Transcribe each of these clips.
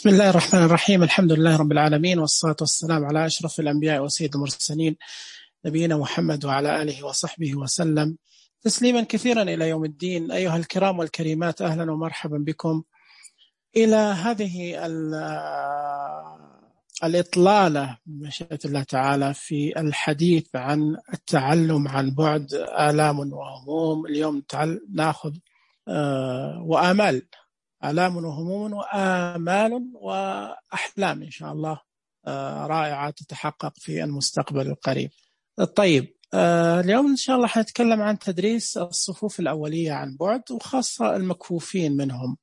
بسم الله الرحمن الرحيم. الحمد لله رب العالمين، والصلاة والسلام على أشرف الأنبياء وسيد المرسلين، نبينا محمد وعلى آله وصحبه وسلم تسليما كثيرا إلى يوم الدين. أيها الكرام والكريمات، أهلا ومرحبا بكم إلى هذه الإطلالة بمشيئة الله تعالى في الحديث عن التعلم عن بعد، آلام وهموم. اليوم نأخذ وآمال، آلام وهموم وآمال وأحلام إن شاء الله رائعة تتحقق في المستقبل القريب. طيب، اليوم إن شاء الله حنتكلم عن تدريس الصفوف الأولية عن بعد، وخاصة المكفوفين منهم.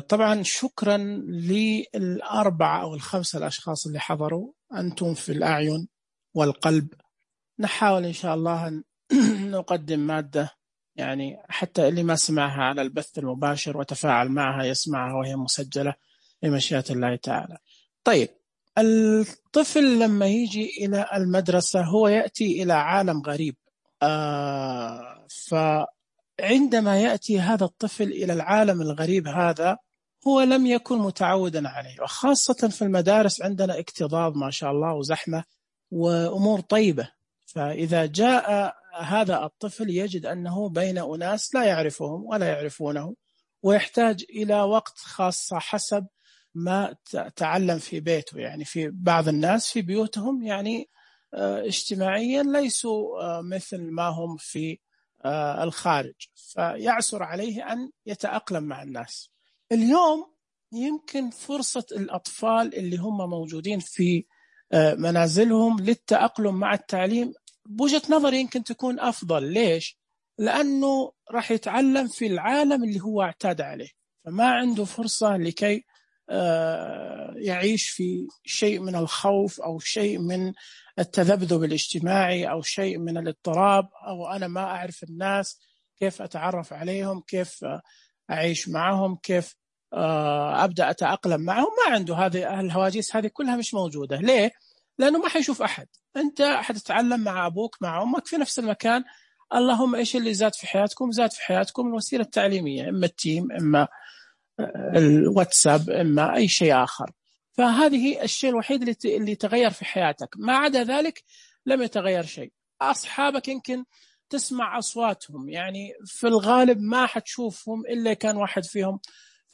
طبعا شكرا للأربعة أو الخمسة الأشخاص اللي حضروا، أنتم في الأعين والقلب. نحاول إن شاء الله أن نقدم مادة يعني حتى اللي ما سمعها على البث المباشر وتفاعل معها يسمعها وهي مسجلة بمشيئة الله تعالى. طيب، الطفل لما يجي إلى المدرسة هو يأتي إلى عالم غريب. فعندما يأتي هذا الطفل إلى العالم الغريب هذا، هو لم يكن متعودا عليه، وخاصة في المدارس عندنا اكتظاظ ما شاء الله وزحمة وأمور طيبة. فإذا جاء هذا الطفل يجد أنه بين أناس لا يعرفهم ولا يعرفونه، ويحتاج إلى وقت خاصة حسب ما تعلم في بيته. يعني في بعض الناس في بيوتهم يعني اجتماعيا ليسوا مثل ما هم في الخارج، فيعسر عليه أن يتأقلم مع الناس. اليوم يمكن فرصة الأطفال اللي هم موجودين في منازلهم للتأقلم مع التعليم بوجهة نظري يمكن تكون أفضل. ليش؟ لأنه راح يتعلم في العالم اللي هو اعتاد عليه، فما عنده فرصة لكي يعيش في شيء من الخوف أو شيء من التذبذب الاجتماعي أو شيء من الاضطراب، أو أنا ما أعرف الناس، كيف أتعرف عليهم، كيف أعيش معهم، كيف أبدأ أتأقلم معهم. ما عنده هذه الهواجس، هذه كلها مش موجودة. ليه؟ لأنه ما حيشوف أحد. أنت حتتعلم مع أبوك مع أمك في نفس المكان. اللهم إيش اللي زاد في حياتكم؟ زاد في حياتكم الوسيلة التعليمية، إما التيم، إما الواتساب، إما أي شيء آخر. فهذه الشيء الوحيد اللي تغير في حياتك. ما عدا ذلك لم يتغير شيء. أصحابك يمكن تسمع أصواتهم، يعني في الغالب ما حتشوفهم إلا كان واحد فيهم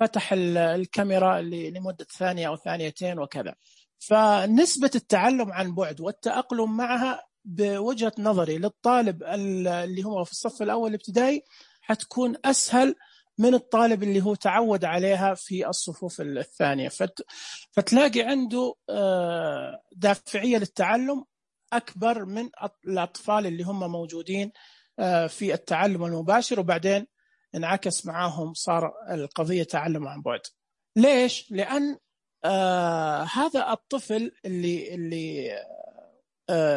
فتح الكاميرا لمدة ثانية أو ثانيتين وكذا. فنسبة التعلم عن بعد والتأقلم معها بوجهة نظري للطالب اللي هو في الصف الأول الابتدائي حتكون أسهل من الطالب اللي هو تعود عليها في الصفوف الثانية. فتلاقي عنده دافعية للتعلم أكبر من الأطفال اللي هم موجودين في التعلم المباشر، وبعدين انعكس معاهم صار القضية تعلم عن بعد. ليش؟ لأن هذا الطفل اللي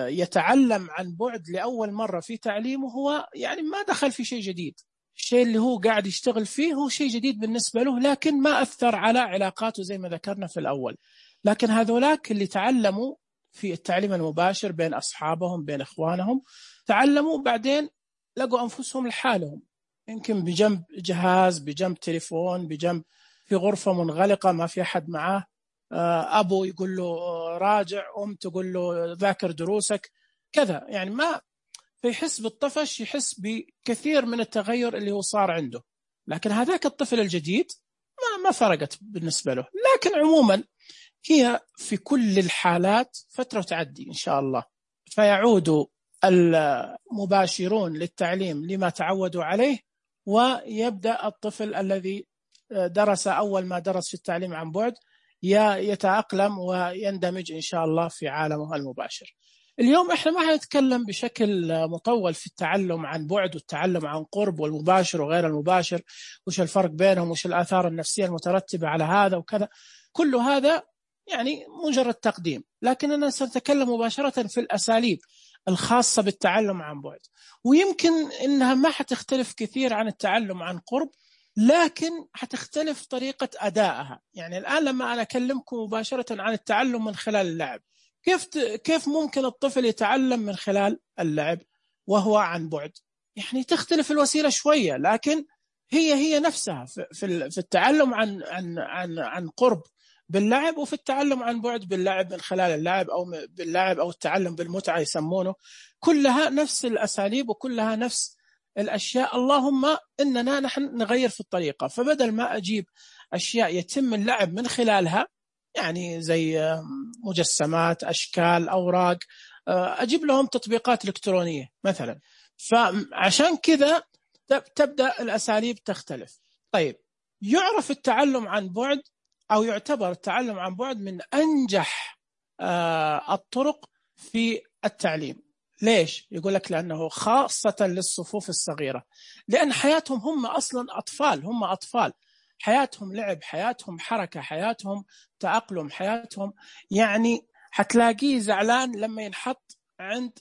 يتعلم عن بعد لأول مرة في تعليمه، هو يعني ما دخل في شيء جديد. الشيء اللي هو قاعد يشتغل فيه هو شيء جديد بالنسبة له، لكن ما أثر على علاقاته زي ما ذكرنا في الأول. لكن هذولاك اللي تعلموا في التعليم المباشر بين أصحابهم بين إخوانهم، تعلموا بعدين لقوا أنفسهم لحالهم، يمكن بجنب جهاز، بجنب تليفون، بجنب في غرفة منغلقة ما في أحد معاه. أبو يقول له راجع، أم تقول له ذاكر دروسك كذا. يعني ما فيحس بالطفش، يحس بكثير من التغير اللي هو صار عنده. لكن هذاك الطفل الجديد ما فرقت بالنسبة له. لكن عموما هي في كل الحالات فترة تعدي إن شاء الله، فيعود المباشرون للتعليم لما تعودوا عليه، ويبدأ الطفل الذي درس أول ما درس في التعليم عن بعد يتأقلم ويندمج إن شاء الله في عالمه المباشر. اليوم إحنا ما هنتكلم بشكل مطول في التعلم عن بعد والتعلم عن قرب والمباشر وغير المباشر، وش الفرق بينهم، وش الآثار النفسية المترتبة على هذا وكذا. كل هذا يعني مجرد تقديم، لكن أنا سأتكلم مباشرة في الأساليب الخاصة بالتعلم عن بعد. ويمكن إنها ما حتختلف كثير عن التعلم عن قرب، لكن حتختلف طريقة أدائها. يعني الآن لما أنا أكلمكم مباشرة عن التعلم من خلال اللعب، كيف ممكن الطفل يتعلم من خلال اللعب وهو عن بعد؟ يعني تختلف الوسيلة شوية، لكن هي نفسها في التعلم عن قرب باللعب، وفي التعلم عن بعد باللعب من خلال اللعب أو باللعب أو التعلم بالمتعة يسمونه، كلها نفس الأساليب وكلها نفس الأشياء. اللهم إننا نحن نغير في الطريقة، فبدل ما أجيب أشياء يتم اللعب من خلالها، يعني زي مجسمات، أشكال، أوراق، أجيب لهم تطبيقات إلكترونية مثلا. فعشان كذا تبدأ الأساليب تختلف. طيب، يعرف التعلم عن بعد أو يعتبر التعلم عن بعد من أنجح الطرق في التعليم. ليش؟ يقول لك لأنه خاصة للصفوف الصغيرة، لأن حياتهم هم أصلا أطفال، هم أطفال، حياتهم لعب، حياتهم حركة، حياتهم تأقلم، حياتهم يعني هتلاقيه زعلان لما ينحط عند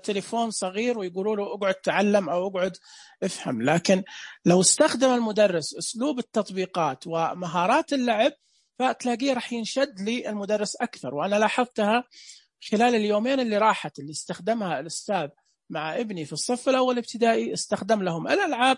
تليفون صغير ويقولوا له اقعد تعلم أو اقعد افهم. لكن لو استخدم المدرس أسلوب التطبيقات ومهارات اللعب، فتلاقيه رح ينشد للمدرس أكثر. وأنا لاحظتها خلال اليومين اللي راحت اللي استخدمها الأستاذ مع ابني في الصف الأول ابتدائي، استخدم لهم الألعاب،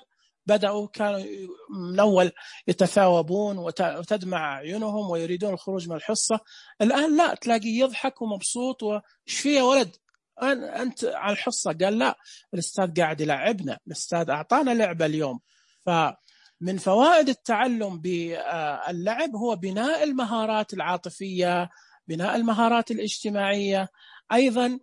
كانوا من أول يتثاوبون وتدمع أعينهم ويريدون الخروج من الحصة. الآن لا، تلاقيه يضحك ومبسوط، وش فيه يا ولد أنت على الحصة؟ قال لا، الأستاذ قاعد يلعبنا، الأستاذ أعطانا لعبة اليوم. فمن فوائد التعلم باللعب هو بناء المهارات العاطفية، بناء المهارات الاجتماعية، أيضا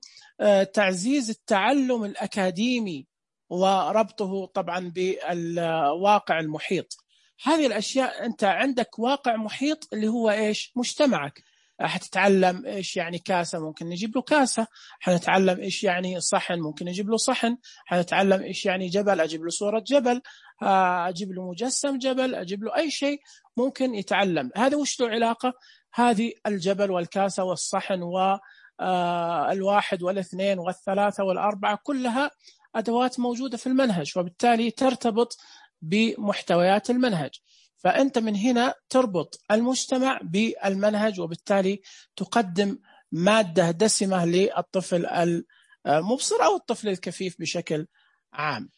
تعزيز التعلم الأكاديمي وربطه طبعا بالواقع المحيط. هذه الأشياء، أنت عندك واقع محيط اللي هو إيش؟ مجتمعك. حتتعلم إيش يعني كاسة، ممكن نجيب له كاسة. حنتعلم إيش يعني صحن، ممكن نجيب له صحن. حنتعلم إيش يعني جبل، أجيب له صورة جبل. أجيب له مجسم جبل، أجيب له أي شيء ممكن يتعلم. هذا وش له علاقة؟ هذه الجبل والكاسة والصحن والواحد والاثنين والثلاثة والأربعة كلها أدوات موجودة في المنهج، وبالتالي ترتبط بمحتويات المنهج. فأنت من هنا تربط المجتمع بالمنهج، وبالتالي تقدم مادة دسمة للطفل المبصر أو الطفل الكفيف بشكل عام.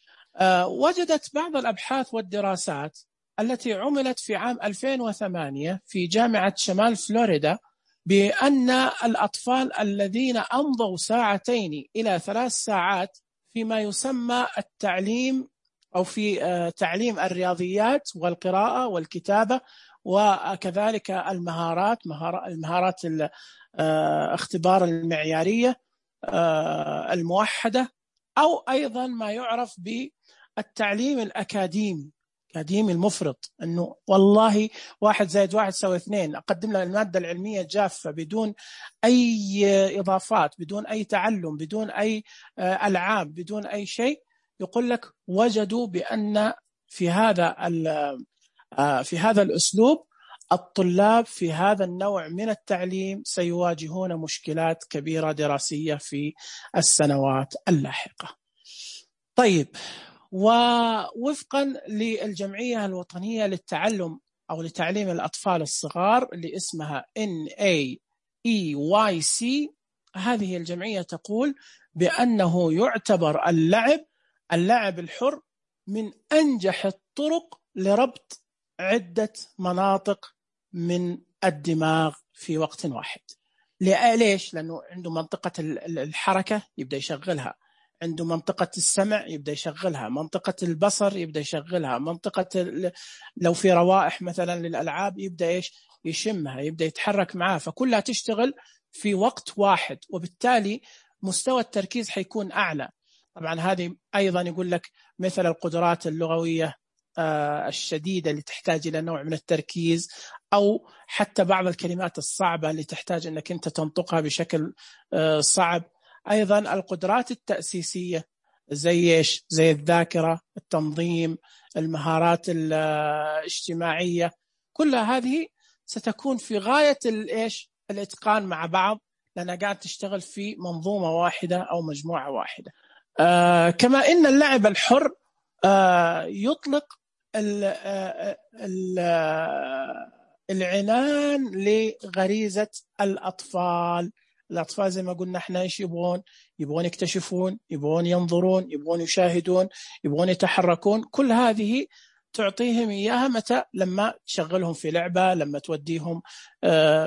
وجدت بعض الأبحاث والدراسات التي عملت في عام 2008 في جامعة شمال فلوريدا بأن الأطفال الذين أمضوا 2 إلى 3 ساعات فيما يسمى التعليم أو في تعليم الرياضيات والقراءة والكتابة، وكذلك المهارات الاختبار المعيارية الموحدة، أو أيضا ما يعرف بالتعليم الأكاديمي المفرط، أنه والله 1 زائد 1 يساوي 2، أقدم له المادة العلمية جافة بدون أي إضافات، بدون أي تعلم، بدون أي ألعاب، بدون أي شيء. يقول لك وجدوا بأن في هذا الأسلوب الطلاب في هذا النوع من التعليم سيواجهون مشكلات كبيرة دراسية في السنوات اللاحقة. طيب، ووفقا للجمعية الوطنية للتعلم أو لتعليم الأطفال الصغار اللي اسمها NAEYC، هذه الجمعية تقول بأنه يعتبر اللعب الحر من أنجح الطرق لربط عدة مناطق من الدماغ في وقت واحد. ليش؟ لأنه عنده منطقة الحركة يبدأ يشغلها، عنده منطقة السمع يبدأ يشغلها، منطقة البصر يبدأ يشغلها، منطقة لو في روائح مثلا للألعاب يبدأ يشمها، يبدأ يتحرك معها، فكلها تشتغل في وقت واحد، وبالتالي مستوى التركيز حيكون أعلى. طبعا هذه أيضا يقول لك مثل القدرات اللغوية الشديدة اللي تحتاج إلى نوع من التركيز، أو حتى بعض الكلمات الصعبة اللي تحتاج أنك أنت تنطقها بشكل صعب. أيضا القدرات التأسيسية زي الذاكرة، التنظيم، المهارات الاجتماعية، كل هذه ستكون في غاية الإتقان مع بعض، لأنها قاعد تشتغل في منظومة واحدة أو مجموعة واحدة. كما إن اللعب الحر يطلق العنان لغريزة الأطفال زي ما قلنا احنا ايش يبغون يكتشفون، يبغون ينظرون، يبغون يشاهدون، يبغون يتحركون. كل هذه تعطيهم إياها متى؟ لما تشغلهم في لعبة، لما توديهم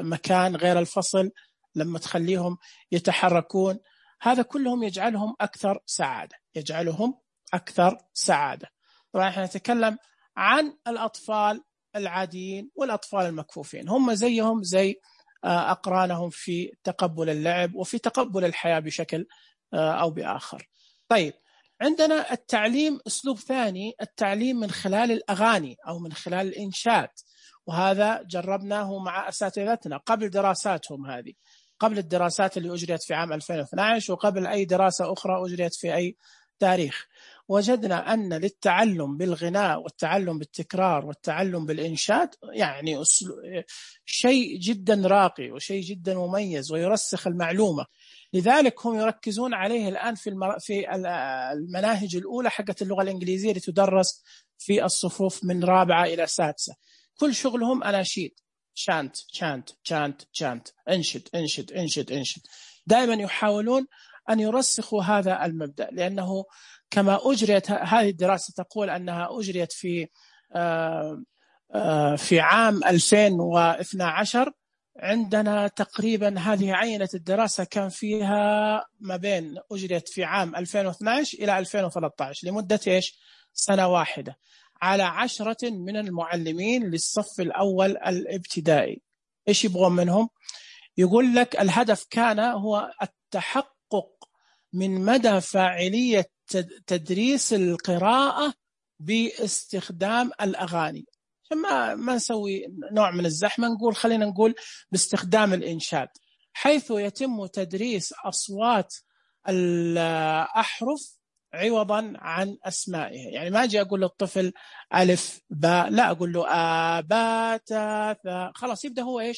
مكان غير الفصل، لما تخليهم يتحركون. هذا كلهم يجعلهم أكثر سعادة، يجعلهم أكثر سعادة. طبعا احنا نتكلم عن الأطفال العاديين والأطفال المكفوفين، هم زيهم زي أقرانهم في تقبل اللعب وفي تقبل الحياة بشكل أو بآخر. طيب، عندنا التعليم أسلوب ثاني، التعليم من خلال الأغاني أو من خلال الإنشاد، وهذا جربناه مع أساتذتنا قبل دراساتهم هذه، قبل الدراسات اللي أجريت في عام 2012 وقبل أي دراسة أخرى أجريت في أي تاريخ. وجدنا أن للتعلم بالغناء والتعلم بالتكرار والتعلم بالإنشاد يعني شيء جدا راقي وشيء جدا مميز ويرسخ المعلومة. لذلك هم يركزون عليه الآن في المناهج الأولى حقت اللغة الإنجليزية اللي تدرس في الصفوف من رابعة إلى سادسة. كل شغلهم أناشيد، شانت شانت شانت شانت، انشد انشد انشد انشد. دائما يحاولون أن يرسخوا هذا المبدأ، لأنه كما أجريت هذه الدراسة تقول أنها أجريت في عام 2012. عندنا تقريبا هذه عينة الدراسة كان فيها ما بين أجريت في عام 2012 إلى 2013 لمدة سنة واحدة على 10 من المعلمين للصف الأول الابتدائي. إيش يبغون منهم؟ يقول لك الهدف كان هو التحقق من مدى فاعلية تدريس القراءة باستخدام الأغاني. ما نسوي نوع من الزحمة، نقول خلينا نقول باستخدام الإنشاد، حيث يتم تدريس أصوات الأحرف عوضا عن أسمائها. يعني ما أجي أقول للطفل ألف باء، لا، أقول له با تا ثا، خلاص يبدأ هو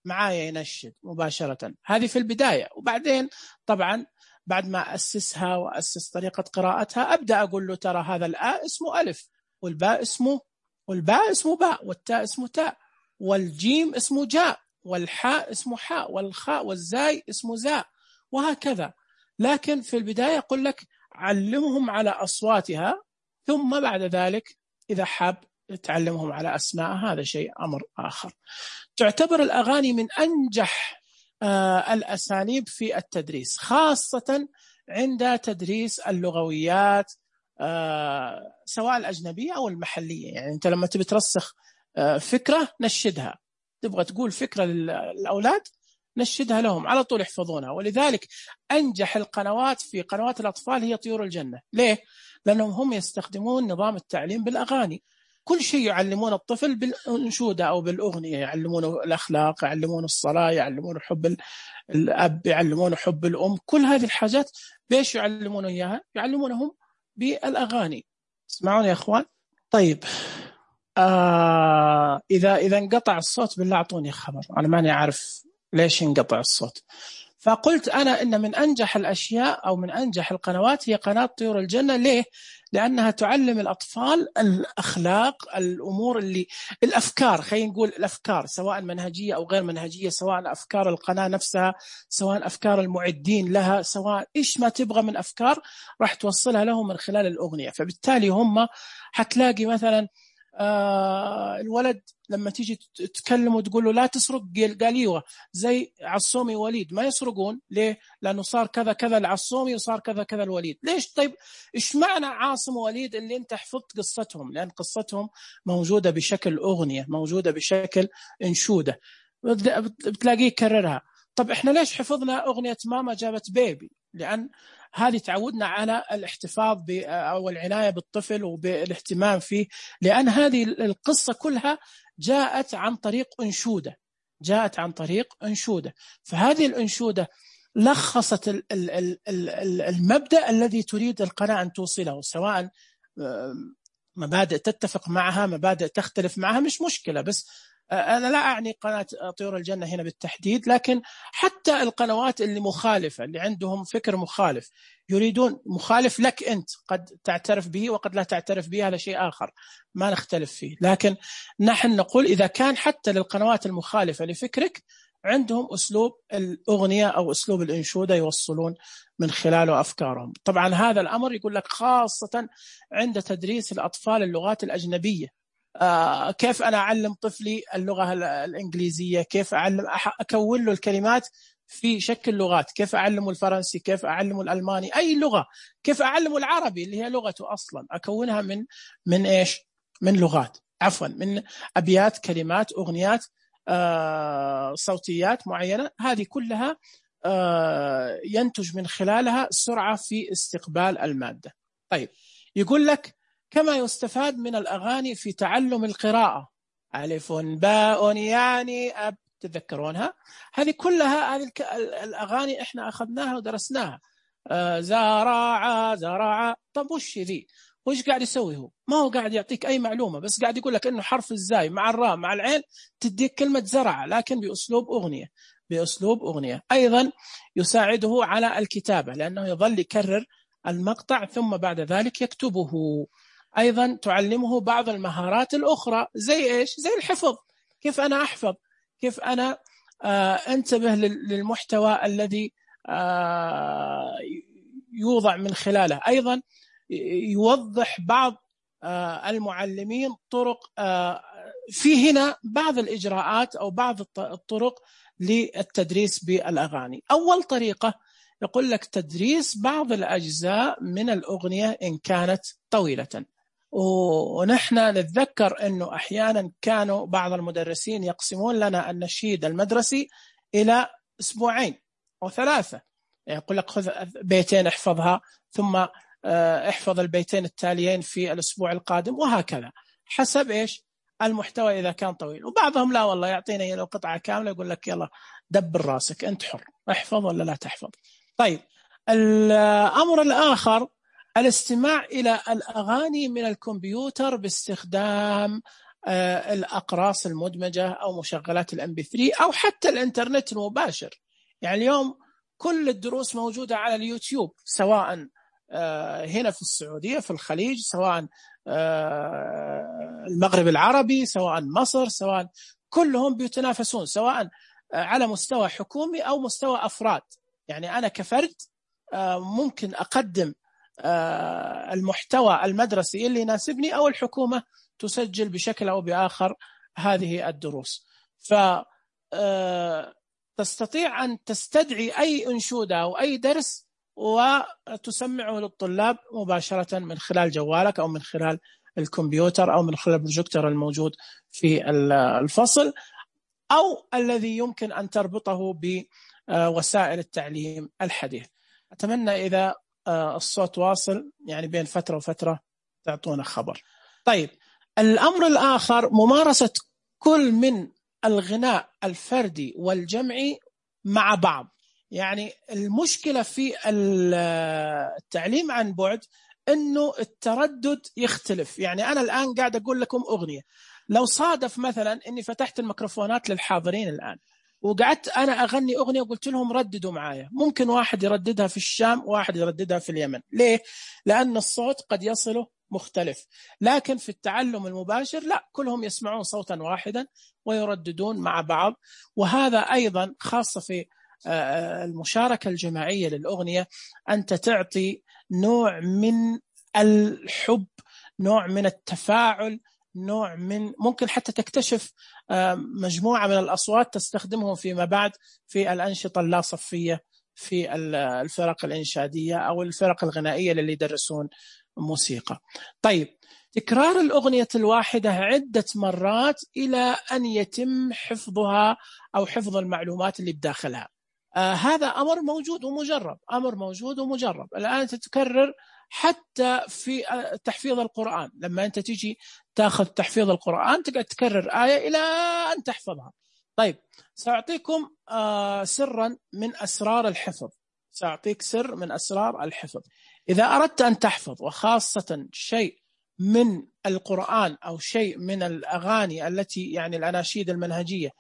معايا ينشد مباشرة. هذه في البداية. وبعدين طبعا بعد ما أسسها وأسس طريقة قراءتها أبدأ أقول له ترى هذا الآ اسمه ألف، والباء اسمه باء، والتاء اسمه تاء، والجيم اسمه جاء، والحاء اسمه حاء، والخاء والزاي اسمه زاء، وهكذا. لكن في البداية يقول لك علمهم على أصواتها، ثم بعد ذلك إذا حاب تعلمهم على أسماء، هذا شيء أمر آخر. تعتبر الأغاني من أنجح الأساليب في التدريس، خاصة عند تدريس اللغويات سواء الأجنبية أو المحلية. يعني أنت لما تبي ترسخ فكرة نشدها، تبغى تقول فكرة للأولاد نشدها لهم على طول يحفظونها. ولذلك أنجح القنوات في قنوات الأطفال هي طيور الجنة. ليه؟ لأنهم هم يستخدمون نظام التعليم بالأغاني. كل شيء يعلمون الطفل بالأنشودة أو بالأغنية، يعلمونه الأخلاق، يعلمونه الصلاة، يعلمونه حب الأب، يعلمونه حب الأم. كل هذه الحاجات بيش يعلمونه إياها؟ يعلمونهم بالأغاني. اسمعون يا أخوان. طيب، إذا انقطع الصوت بالله أعطوني خبر، أنا ماني عارف ليش انقطع الصوت. فقلت أنا إن من أنجح الأشياء أو من أنجح القنوات هي قناة طيور الجنة. ليه؟ لأنها تعلم الأطفال الأخلاق، الأمور الأفكار، خلينا نقول الأفكار سواء منهجية أو غير منهجية، سواء أفكار القناة نفسها، سواء أفكار المعدين لها، سواء إيش ما تبغى من أفكار راح توصلها لهم من خلال الأغنية. فبالتالي هم حتلاقي مثلا الولد لما تيجي تتكلم وتقول له لا تسرق، قال ايوه زي عصومي وليد ما يسرقون. ليه؟ لانه صار كذا كذا العصومي وصار كذا كذا الوليد. ليش؟ طيب ايش معنى عاصم ووليد اللي انت حفظت قصتهم؟ لان قصتهم موجوده بشكل اغنيه، موجوده بشكل انشوده، بتلاقيه يكررها. طب احنا ليش حفظنا اغنيه ماما جابت بيبي؟ لان هذه تعودنا على الاحتفاظ أو العناية بالطفل وبالاهتمام فيه، لأن هذه القصة كلها جاءت عن طريق أنشودة. فهذه الأنشودة لخصت المبدأ الذي تريد القناة أن توصله، سواء مبادئ تتفق معها، مبادئ تختلف معها، مش مشكلة. بس أنا لا أعني قناة طيور الجنة هنا بالتحديد، لكن حتى القنوات اللي مخالفة، اللي عندهم فكر مخالف، يريدون مخالف لك أنت، قد تعترف به وقد لا تعترف به، هذا شيء آخر ما نختلف فيه. لكن نحن نقول إذا كان حتى للقنوات المخالفة لفكرك عندهم أسلوب الأغنية أو أسلوب الإنشودة يوصلون من خلاله أفكارهم. طبعا هذا الأمر يقول لك خاصة عند تدريس الأطفال اللغات الأجنبية. كيف أنا أعلم طفلي اللغة الإنجليزية؟ كيف أكون له الكلمات في شكل لغات؟ كيف أعلمه الفرنسي؟ كيف أعلمه الألماني؟ أي لغة؟ كيف أعلمه العربي اللي هي لغته أصلا؟ أكونها من إيش؟ من لغات، عفوا من أبيات، كلمات، أغنيات، صوتيات معينة. هذه كلها ينتج من خلالها سرعة في استقبال المادة. طيب، يقول لك كما يستفاد من الأغاني في تعلم القراءة، ألف باء يعني أب، تذكرونها؟ هذه كلها هذه الأغاني إحنا أخذناها ودرسناها. زرع. طب وش ذي؟ وش قاعد يسوي هو؟ ما هو قاعد يعطيك أي معلومة، بس قاعد يقول لك إنه حرف الزاي مع الراء مع العين تديك كلمة زرع، لكن بأسلوب أغنية. أيضا يساعده على الكتابة لأنه يظل يكرر المقطع ثم بعد ذلك يكتبه. أيضا تعلمه بعض المهارات الأخرى زي إيش؟ زي الحفظ. كيف أنا أحفظ؟ كيف أنا أنتبه للمحتوى الذي يوضع من خلاله. أيضا يوضح بعض المعلمين طرق، في هنا بعض الإجراءات أو بعض الطرق للتدريس بالأغاني. أول طريقة يقول لك تدريس بعض الأجزاء من الأغنية إن كانت طويلة. ونحن نتذكر أنه أحيانا كانوا بعض المدرسين يقسمون لنا النشيد المدرسي إلى أسبوعين أو 3. يقول لك خذ بيتين احفظها، ثم احفظ البيتين التاليين في الأسبوع القادم، وهكذا حسب إيش المحتوى إذا كان طويل. وبعضهم لا والله يعطينا لو قطعة كاملة يقول لك يلا دبر راسك أنت حر، احفظ ولا لا تحفظ. طيب، الأمر الآخر الاستماع إلى الأغاني من الكمبيوتر باستخدام الأقراص المدمجة أو مشغلات الMP3 أو حتى الإنترنت المباشر. يعني اليوم كل الدروس موجودة على اليوتيوب، سواء هنا في السعودية في الخليج، سواء المغرب العربي، سواء مصر، سواء كلهم بيتنافسون، سواء على مستوى حكومي أو مستوى أفراد. يعني أنا كفرد ممكن أقدم المحتوى المدرسي اللي يناسبني، أو الحكومة تسجل بشكل أو بآخر هذه الدروس. فتستطيع أن تستدعي أي أنشودة أو أي درس وتسمعه للطلاب مباشرة من خلال جوالك أو من خلال الكمبيوتر أو من خلال البروجيكتور الموجود في الفصل، أو الذي يمكن أن تربطه بوسائل التعليم الحديث. أتمنى إذا الصوت واصل يعني بين فترة وفترة تعطونا خبر. طيب، الأمر الآخر ممارسة كل من الغناء الفردي والجمعي مع بعض. يعني المشكلة في التعليم عن بعد أنه التردد يختلف. يعني أنا الآن قاعد أقول لكم أغنية، لو صادف مثلا أني فتحت الميكروفونات للحاضرين الآن وقعدت أنا أغني أغنية وقلت لهم رددوا معايا، ممكن واحد يرددها في الشام وواحد يرددها في اليمن. ليه؟ لأن الصوت قد يصله مختلف. لكن في التعلم المباشر لا، كلهم يسمعون صوتا واحدا ويرددون مع بعض. وهذا أيضا خاصة في المشاركة الجماعية للأغنية، أنت تعطي نوع من الحب، نوع من التفاعل، نوع من ممكن حتى تكتشف مجموعة من الأصوات تستخدمهم فيما بعد في الأنشطة اللا صفية في الفرق الإنشادية أو الفرق الغنائية اللي يدرسون موسيقى. طيب، تكرار الأغنية الواحدة عدة مرات إلى أن يتم حفظها أو حفظ المعلومات اللي بداخلها. هذا أمر موجود ومجرب. الآن تتكرر حتى في تحفيظ القرآن. لما أنت تيجي تأخذ تحفيظ القرآن تقعد تكرر آية إلى أن تحفظها. طيب، سأعطيكم سرا من أسرار الحفظ. سأعطيك سر من أسرار الحفظ. إذا أردت أن تحفظ، وخاصة شيء من القرآن أو شيء من الأغاني التي يعني الأناشيد المنهجية،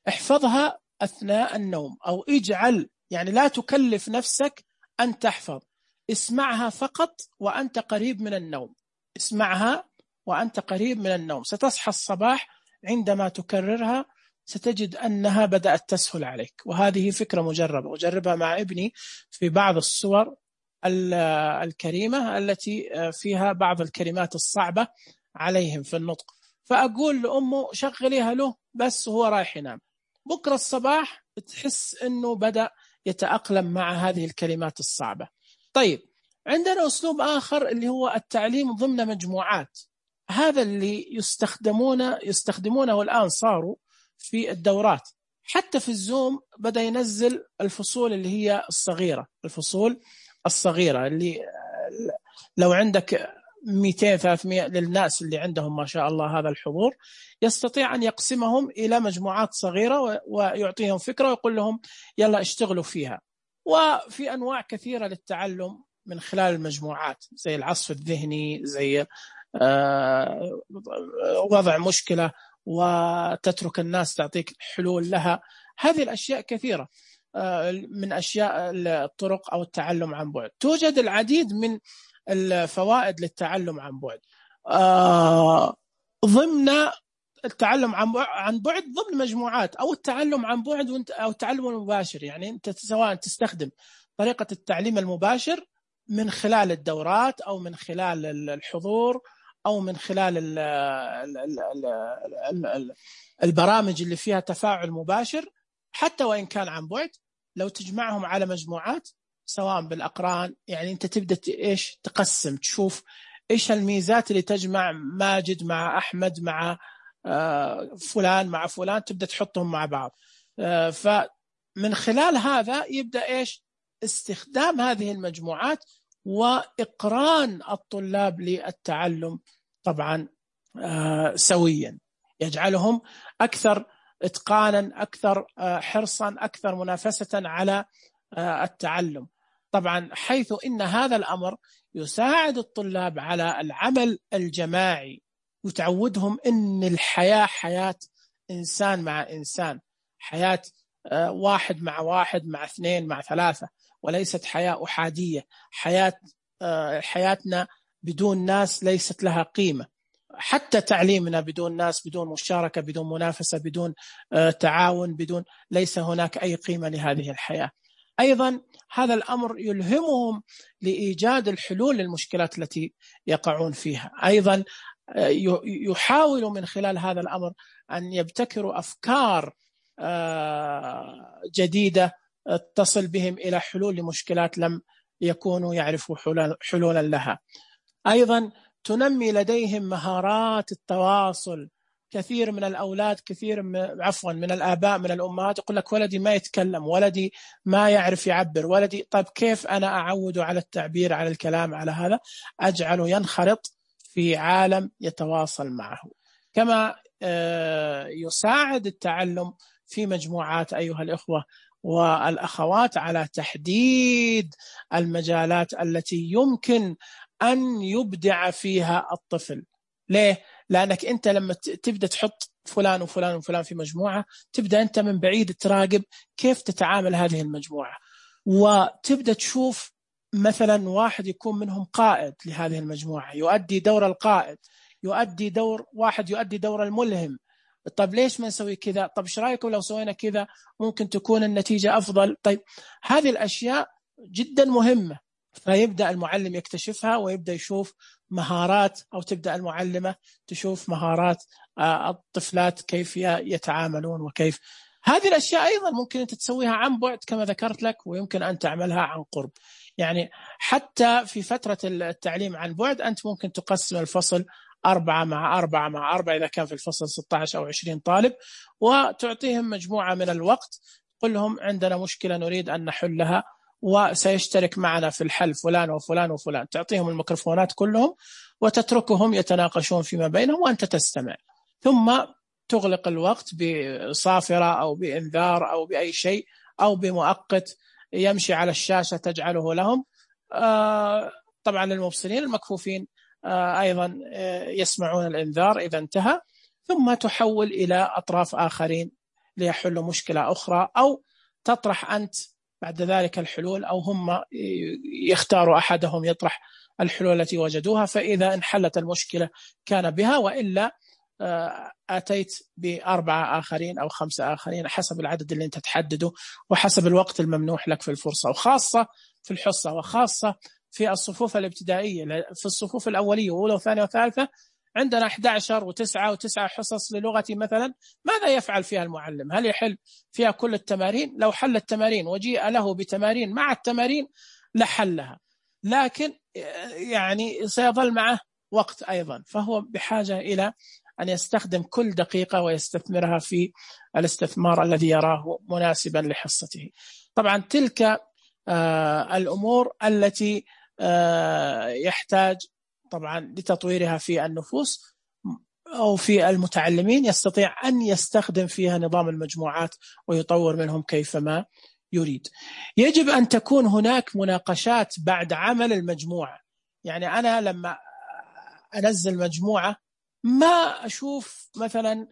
احفظها أثناء النوم، أو اجعل يعني لا تكلف نفسك أن تحفظ، اسمعها فقط وأنت قريب من النوم. اسمعها وأنت قريب من النوم، ستصحى الصباح عندما تكررها ستجد أنها بدأت تسهل عليك. وهذه فكرة مجربة، أجربها مع ابني في بعض الصور الكريمة التي فيها بعض الكلمات الصعبة عليهم في النطق، فأقول لأمه شغليها له بس هو رايح ينام، بكرة الصباح تحس أنه بدأ يتأقلم مع هذه الكلمات الصعبة. طيب، عندنا أسلوب آخر اللي هو التعليم ضمن مجموعات. هذا اللي يستخدمونه الآن، صاروا في الدورات، حتى في الزوم بدأ ينزل الفصول اللي هي الصغيرة، الفصول الصغيرة اللي لو عندك 200-300 للناس اللي عندهم ما شاء الله هذا الحضور، يستطيع أن يقسمهم إلى مجموعات صغيرة ويعطيهم فكرة ويقول لهم يلا اشتغلوا فيها. وفي أنواع كثيرة للتعلم من خلال المجموعات، زي العصف الذهني، زي وضع مشكلة وتترك الناس تعطيك حلول لها. هذه الأشياء كثيرة من أشياء الطرق أو التعلم عن بعد. توجد العديد من الفوائد للتعلم عن بعد ضمن التعلم عن بعد ضمن مجموعات، أو التعلم عن بعد أو التعلم المباشر. يعني أنت سواء تستخدم طريقة التعليم المباشر من خلال الدورات، أو من خلال الحضور، أو من خلال البرامج اللي فيها تفاعل مباشر، حتى وإن كان عن بعد، لو تجمعهم على مجموعات سواء بالأقران. يعني أنت تبدأ إيش تقسم، تشوف إيش الميزات اللي تجمع ماجد مع أحمد مع فلان مع فلان، تبدأ تحطهم مع بعض. فمن خلال هذا يبدأ إيش استخدام هذه المجموعات وإقران الطلاب للتعلم طبعا سويا، يجعلهم أكثر إتقانا، أكثر حرصا، أكثر منافسة على التعلم. طبعا حيث إن هذا الأمر يساعد الطلاب على العمل الجماعي، وتعودهم إن الحياة حياة إنسان مع إنسان، حياة واحد مع واحد مع اثنين مع ثلاثة، وليست حياة أحادية. حياتنا بدون ناس ليست لها قيمة، حتى تعليمنا بدون ناس، بدون مشاركة، بدون منافسة، بدون تعاون، ليس هناك أي قيمة لهذه الحياة. أيضا هذا الأمر يلهمهم لإيجاد الحلول للمشكلات التي يقعون فيها. أيضا يحاولوا من خلال هذا الأمر أن يبتكروا أفكار جديدة تصل بهم إلى حلول لمشكلات لم يكونوا يعرفوا حلولا لها. أيضا تنمي لديهم مهارات التواصل. كثير من الأولاد، من الآباء من الأمهات يقول لك ولدي ما يتكلم، ولدي ما يعرف يعبر، ولدي. طيب كيف أنا أعوده على التعبير، على الكلام، على هذا؟ أجعله ينخرط في عالم يتواصل معه. كما يساعد التعلم في مجموعات أيها الإخوة والأخوات على تحديد المجالات التي يمكن أن يبدع فيها الطفل. ليه؟ لأنك أنت لما تبدأ تحط فلان وفلان وفلان في مجموعة، تبدأ أنت من بعيد تراقب كيف تتعامل هذه المجموعة، وتبدأ تشوف مثلا واحد يكون منهم قائد لهذه المجموعة، يؤدي دور القائد، يؤدي دور الملهم. طب ليش ما نسوي كذا؟ طب ايش رايكم لو سوينا كذا ممكن تكون النتيجة أفضل؟ طيب هذه الأشياء جدا مهمة. فيبدأ المعلم يكتشفها ويبدأ يشوف مهارات، أو تبدأ المعلمة تشوف مهارات الطفلات كيف يتعاملون وكيف. هذه الأشياء أيضا ممكن أنت تسويها عن بعد كما ذكرت لك، ويمكن أن تعملها عن قرب. يعني حتى في فترة التعليم عن بعد أنت ممكن تقسم الفصل 4 إذا كان في الفصل 16 أو 20 طالب، وتعطيهم مجموعة من الوقت، قل لهم عندنا مشكلة نريد أن نحلها وسيشترك معنا في الحل فلان وفلان وفلان. تعطيهم الميكروفونات كلهم وتتركهم يتناقشون فيما بينهم وأنت تستمع، ثم تغلق الوقت بصافرة أو بإنذار أو بأي شيء أو بمؤقت يمشي على الشاشة تجعله لهم. طبعا للمبصرين المكفوفين أيضا يسمعون الإنذار إذا انتهى، ثم تحول إلى أطراف آخرين ليحلوا مشكلة أخرى، أو تطرح أنت بعد ذلك الحلول، أو هم يختاروا أحدهم يطرح الحلول التي وجدوها، فإذا انحلت المشكلة كان بها، وإلا أتيت ب4 آخرين أو 5 آخرين حسب العدد اللي أنت تحدده وحسب الوقت الممنوح لك في الفرصة، وخاصة في الحصة، وخاصة في الصفوف الابتدائية. في الصفوف الأولية وأولى وثانية وثالثة عندنا 11 و9 حصص للغة مثلا، ماذا يفعل فيها المعلم؟ هل يحل فيها كل التمارين؟ لو حل التمارين وجيء له بتمارين مع التمارين لحلها، لكن يعني سيظل معه وقت أيضا، فهو بحاجة إلى أن يستخدم كل دقيقة ويستثمرها في الاستثمار الذي يراه مناسبا لحصته. طبعا تلك الأمور التي يحتاج طبعا لتطويرها في النفوس أو في المتعلمين، يستطيع أن يستخدم فيها نظام المجموعات ويطور منهم كيفما يريد. يجب أن تكون هناك مناقشات بعد عمل المجموعة. يعني أنا لما أنزل مجموعة ما أشوف مثلا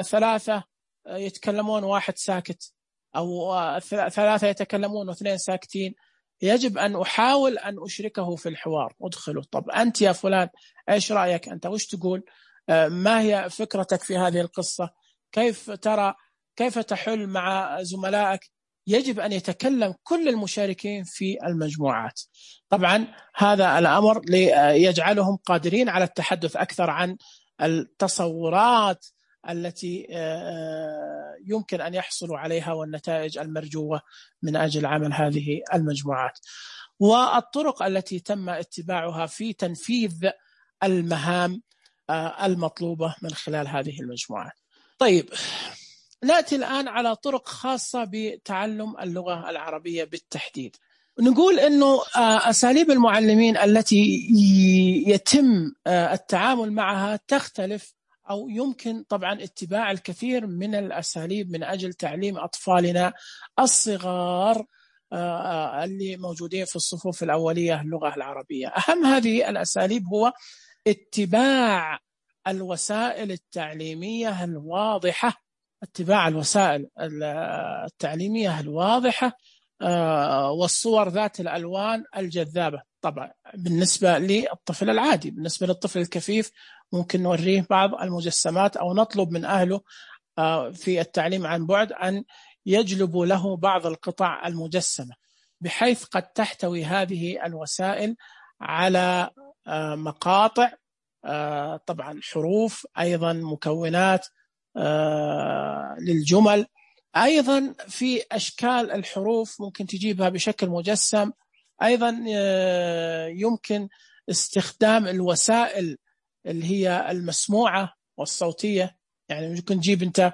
3 يتكلمون واحد ساكت، أو 3 يتكلمون و2 ساكتين. يجب أن أحاول أن أشركه في الحوار، أدخله. طب أنت يا فلان إيش رأيك أنت؟ وش تقول؟ ما هي فكرتك في هذه القصة؟ كيف ترى؟ كيف تحل مع زملائك؟ يجب أن يتكلم كل المشاركين في المجموعات. طبعا هذا الأمر ليجعلهم قادرين على التحدث أكثر عن التصورات التي يمكن أن يحصلوا عليها والنتائج المرجوة من أجل عمل هذه المجموعات، والطرق التي تم اتباعها في تنفيذ المهام المطلوبة من خلال هذه المجموعات. طيب، نأتي الآن على طرق خاصة بتعلم اللغة العربية بالتحديد. نقول أنه أساليب المعلمين التي يتم التعامل معها تختلف، أو يمكن طبعا اتباع الكثير من الأساليب من أجل تعليم أطفالنا الصغار اللي موجودين في الصفوف الأولية اللغة العربية. أهم هذه الأساليب هو اتباع الوسائل التعليمية الواضحة، اتباع الوسائل التعليمية الواضحة والصور ذات الألوان الجذابة. طبعا بالنسبة للطفل العادي، بالنسبة للطفل الكفيف ممكن نوريه بعض المجسمات أو نطلب من أهله في التعليم عن بعد أن يجلبوا له بعض القطع المجسمة، بحيث قد تحتوي هذه الوسائل على مقاطع، طبعا حروف، أيضا مكونات للجمل، أيضا في أشكال الحروف ممكن تجيبها بشكل مجسم. أيضا يمكن استخدام الوسائل اللي هي المسموعة والصوتية، يعني ممكن تجيب أنت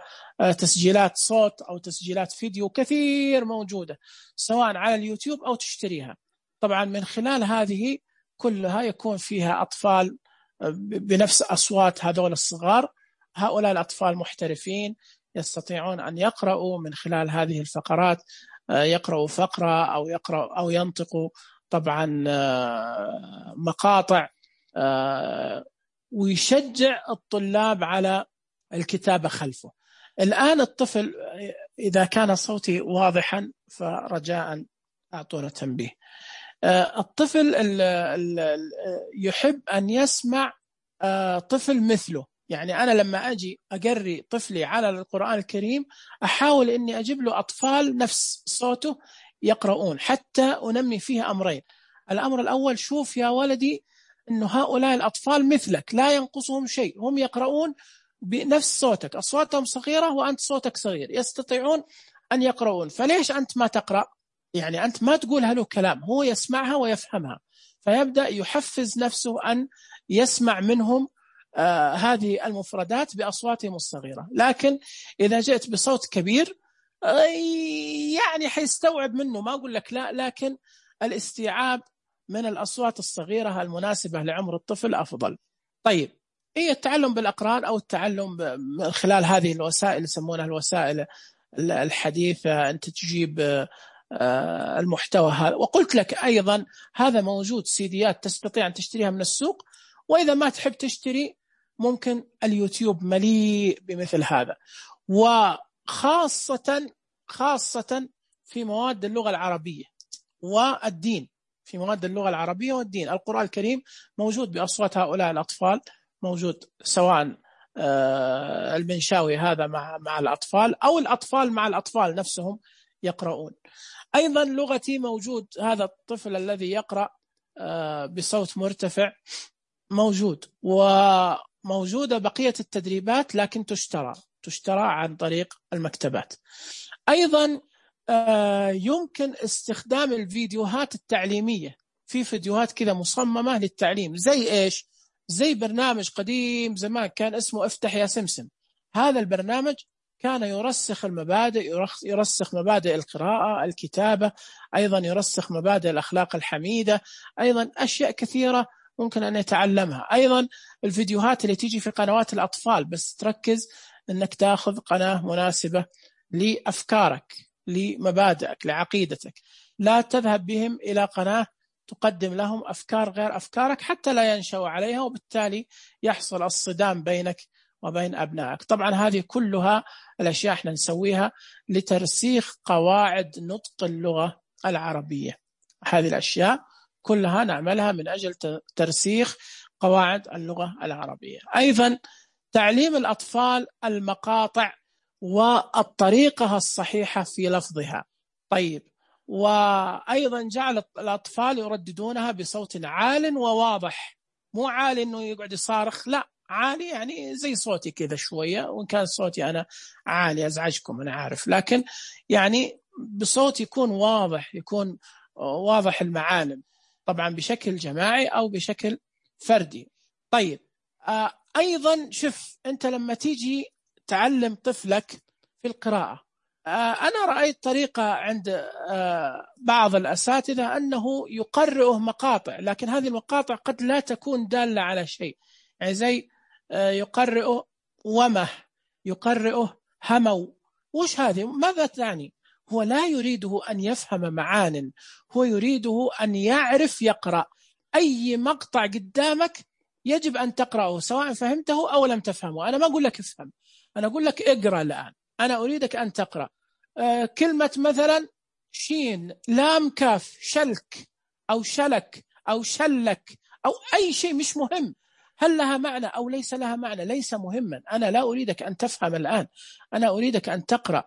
تسجيلات صوت أو تسجيلات فيديو كثير موجودة سواء على اليوتيوب أو تشتريها. طبعا من خلال هذه كلها يكون فيها أطفال بنفس أصوات هذول الصغار. هؤلاء الأطفال محترفين يستطيعون أن يقرأوا من خلال هذه الفقرات، يقرأوا فقرة أو ينطقوا طبعا مقاطع، ويشجع الطلاب على الكتابة خلفه. الآن الطفل إذا كان صوتي واضحا فرجاء أعطونا تنبيه. الطفل يحب أن يسمع طفل مثله. يعني أنا لما أجي أقري طفلي على القرآن الكريم أحاول أني أجيب له أطفال نفس صوته يقرؤون، حتى أنمي فيه أمرين. الأمر الأول، شوف يا ولدي أنه هؤلاء الأطفال مثلك لا ينقصهم شيء، هم يقرؤون بنفس صوتك، أصواتهم صغيرة وأنت صوتك صغير، يستطيعون أن يقرؤون، فليش أنت ما تقرأ؟ يعني أنت ما تقولها له كلام، هو يسمعها ويفهمها، فيبدأ يحفز نفسه أن يسمع منهم هذه المفردات بأصواتهم الصغيرة. لكن إذا جئت بصوت كبير يعني حيستوعب منه، ما أقول لك لا، لكن الاستيعاب من الأصوات الصغيرة المناسبة لعمر الطفل أفضل. طيب، هي التعلم بالأقران أو التعلم من خلال هذه الوسائل يسمونها الوسائل الحديثة، أنت تجيب المحتوى هذا. وقلت لك أيضا هذا موجود سيديات تستطيع أن تشتريها من السوق، وإذا ما تحب تشتري ممكن اليوتيوب مليء بمثل هذا. وخاصة في مواد اللغة العربية والدين، في مواد اللغة العربية والدين القرآن الكريم موجود بأصوات هؤلاء الأطفال، موجود سواء المنشاوي هذا مع الأطفال، أو الأطفال مع الأطفال نفسهم يقرؤون. أيضا لغتي موجود، هذا الطفل الذي يقرأ بصوت مرتفع موجود، وموجودة بقية التدريبات لكن تشترى عن طريق المكتبات. أيضا يمكن استخدام الفيديوهات التعليمية، في فيديوهات كذا مصممة للتعليم، زي إيش؟ زي برنامج قديم زمان كان اسمه افتح يا سمسم. هذا البرنامج كان يرسخ المبادئ، يرسخ مبادئ القراءة، الكتابة، أيضا يرسخ مبادئ الأخلاق الحميدة، أيضا أشياء كثيرة ممكن أن يتعلمها. أيضا الفيديوهات اللي تيجي في قنوات الأطفال، بس تركز أنك تأخذ قناة مناسبة لأفكارك، لمبادئك، لعقيدتك، لا تذهب بهم إلى قناة تقدم لهم أفكار غير أفكارك حتى لا ينشأوا عليها، وبالتالي يحصل الصدام بينك وبين أبنائك. طبعا هذه كلها الأشياء احنا نسويها لترسيخ قواعد نطق اللغة العربية. هذه الأشياء كلها نعملها من أجل ترسيخ قواعد اللغة العربية. أيضا تعليم الأطفال المقاطع والطريقة الصحيحة في لفظها. طيب، وأيضا جعل الأطفال يرددونها بصوت عال وواضح، مو عالي أنه يقعد يصارخ، لا، عالي يعني زي صوتي كذا شوية، وإن كان صوتي أنا عالي أزعجكم أنا عارف، لكن يعني بصوت يكون واضح، يكون واضح المعالم، طبعا بشكل جماعي أو بشكل فردي. طيب، أيضا شوف أنت لما تيجي تعلم طفلك في القراءة، أنا رأيت طريقة عند بعض الأساتذة أنه يقرئه مقاطع، لكن هذه المقاطع قد لا تكون دالة على شيء، يعني زي يقرئه ومه، يقرئه همو. وش هذه؟ ماذا تعني؟ هو لا يريده أن يفهم معان، هو يريده أن يعرف يقرأ. أي مقطع قدامك يجب أن تقرأه سواء فهمته أو لم تفهمه. أنا ما أقول لك افهم، أنا أقول لك اقرأ الآن، أنا أريدك أن تقرأ كلمة مثلا شين لام كاف، شلك أو شلك أو شلك أو أي شيء، مش مهم هل لها معنى أو ليس لها معنى، ليس مهما. أنا لا أريدك أن تفهم الآن، أنا أريدك أن تقرأ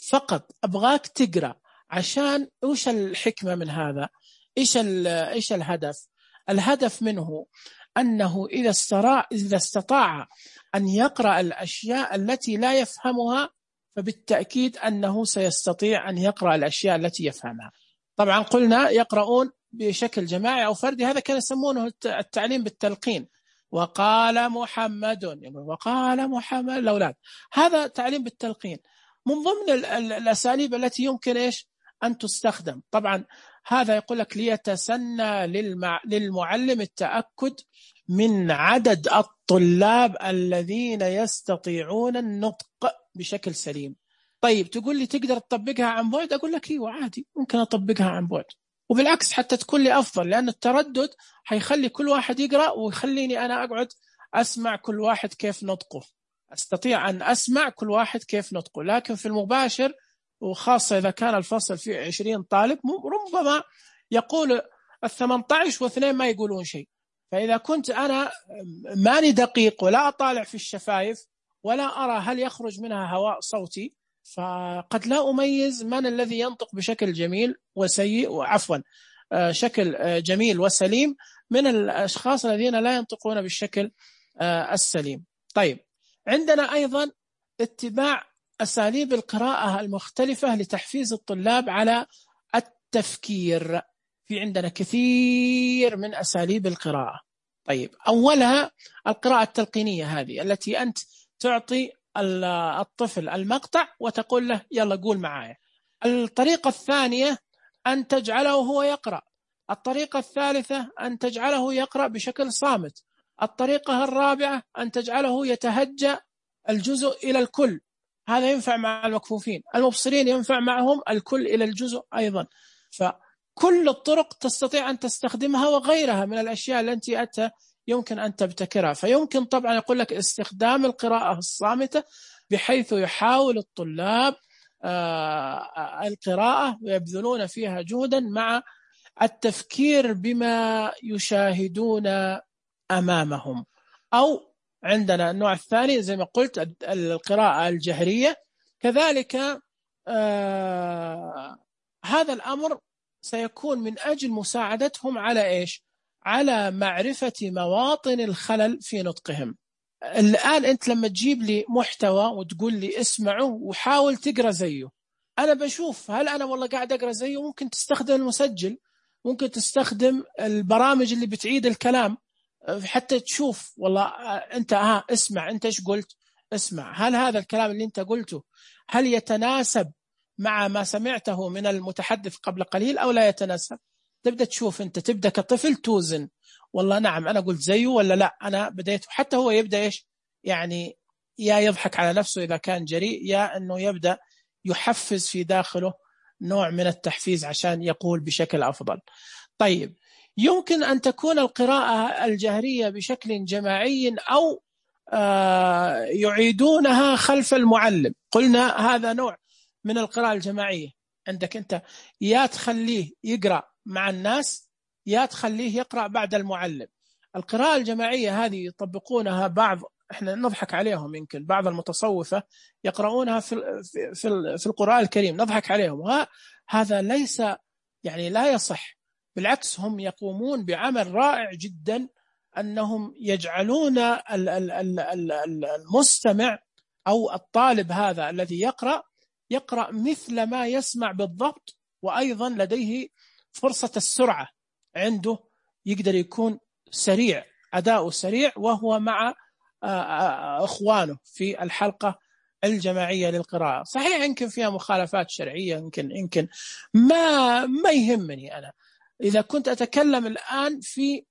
فقط، أبغاك تقرأ. عشان إيش الحكمة من هذا؟ إيش الهدف؟ الهدف منه أنه إذا استطاع أن يقرأ الأشياء التي لا يفهمها، فبالتأكيد أنه سيستطيع أن يقرأ الأشياء التي يفهمها. طبعا قلنا يقرؤون بشكل جماعي أو فردي، هذا كان يسمونه التعليم بالتلقين. وقال محمد، وقال محمد الأولاد، هذا تعليم بالتلقين من ضمن الأساليب التي يمكن إيش أن تستخدم. طبعا هذا يقول لك ليتسنى للمعلم التأكد من عدد الطلاب الذين يستطيعون النطق بشكل سليم. طيب تقول لي تقدر تطبقها عن بعد؟ أقول لك ايوه عادي، ممكن أطبقها عن بعد، وبالعكس حتى تكون لي أفضل، لأن التردد حيخلي كل واحد يقرأ ويخليني أنا أقعد أسمع كل واحد كيف نطقه، أستطيع أن أسمع كل واحد كيف نطقه. لكن في المباشر، وخاصة إذا كان الفصل فيه 20 طالب، ربما يقول 18 واثنين ما يقولون شيء. فإذا كنت أنا ماني دقيق ولا أطالع في الشفايف ولا أرى هل يخرج منها هواء صوتي، فقد لا أميز من الذي ينطق بشكل جميل وسيء، وعفوا شكل جميل وسليم، من الأشخاص الذين لا ينطقون بالشكل السليم. طيب، عندنا أيضا اتباع أساليب القراءة المختلفة لتحفيز الطلاب على التفكير. في عندنا كثير من أساليب القراءة. طيب، أولها القراءة التلقينية، هذه التي أنت تعطي الطفل المقطع وتقول له يلا قول معايا. الطريقة الثانية أن تجعله هو يقرأ. الطريقة الثالثة أن تجعله يقرأ بشكل صامت. الطريقة الرابعة أن تجعله يتهجى الجزء إلى الكل، هذا ينفع مع المكفوفين. المبصرين ينفع معهم الكل إلى الجزء أيضا. فكل الطرق تستطيع أن تستخدمها، وغيرها من الأشياء التي أنت يمكن أن تبتكرها. فيمكن طبعا يقول لك استخدام القراءة الصامتة، بحيث يحاول الطلاب القراءة ويبذلون فيها جهدا مع التفكير بما يشاهدون أمامهم، أو عندنا النوع الثاني زي ما قلت القراءة الجهرية. كذلك هذا الأمر سيكون من أجل مساعدتهم على إيش؟ على معرفة مواطن الخلل في نطقهم. الآن أنت لما تجيب لي محتوى وتقول لي اسمعه وحاول تقرأ زيه، أنا بشوف هل أنا والله قاعد أقرأ زيه. ممكن تستخدم المسجل، ممكن تستخدم البرامج اللي بتعيد الكلام حتى تشوف والله أنت اسمع أنت إيش قلت، اسمع هل هذا الكلام اللي أنت قلته هل يتناسب مع ما سمعته من المتحدث قبل قليل أو لا يتناسب. تبدأ تشوف أنت، تبدأ كطفل توزن والله نعم أنا قلت زيه ولا لا أنا بديت. حتى هو يبدأ إيش يعني، يا يضحك على نفسه إذا كان جريء، يا أنه يبدأ يحفز في داخله نوع من التحفيز عشان يقول بشكل أفضل. طيب يمكن أن تكون القراءة الجهرية بشكل جماعي أو يعيدونها خلف المعلم. قلنا هذا نوع من القراءة الجماعية. عندك أنت يا تخليه يقرأ مع الناس يا تخليه يقرأ بعد المعلم. القراءة الجماعية هذه يطبقونها بعض، احنا نضحك عليهم، يمكن بعض المتصوفة يقرؤونها في القرآن الكريم نضحك عليهم، هذا ليس يعني لا يصح. بالعكس هم يقومون بعمل رائع جدا، أنهم يجعلون المستمع أو الطالب هذا الذي يقرأ مثل ما يسمع بالضبط، وأيضا لديه فرصة السرعة، عنده يقدر يكون سريع، أداؤه سريع وهو مع أخوانه في الحلقة الجماعية للقراءة. صحيح يمكن فيها مخالفات شرعية، يمكن ما يهمني أنا. إذا كنت أتكلم الآن في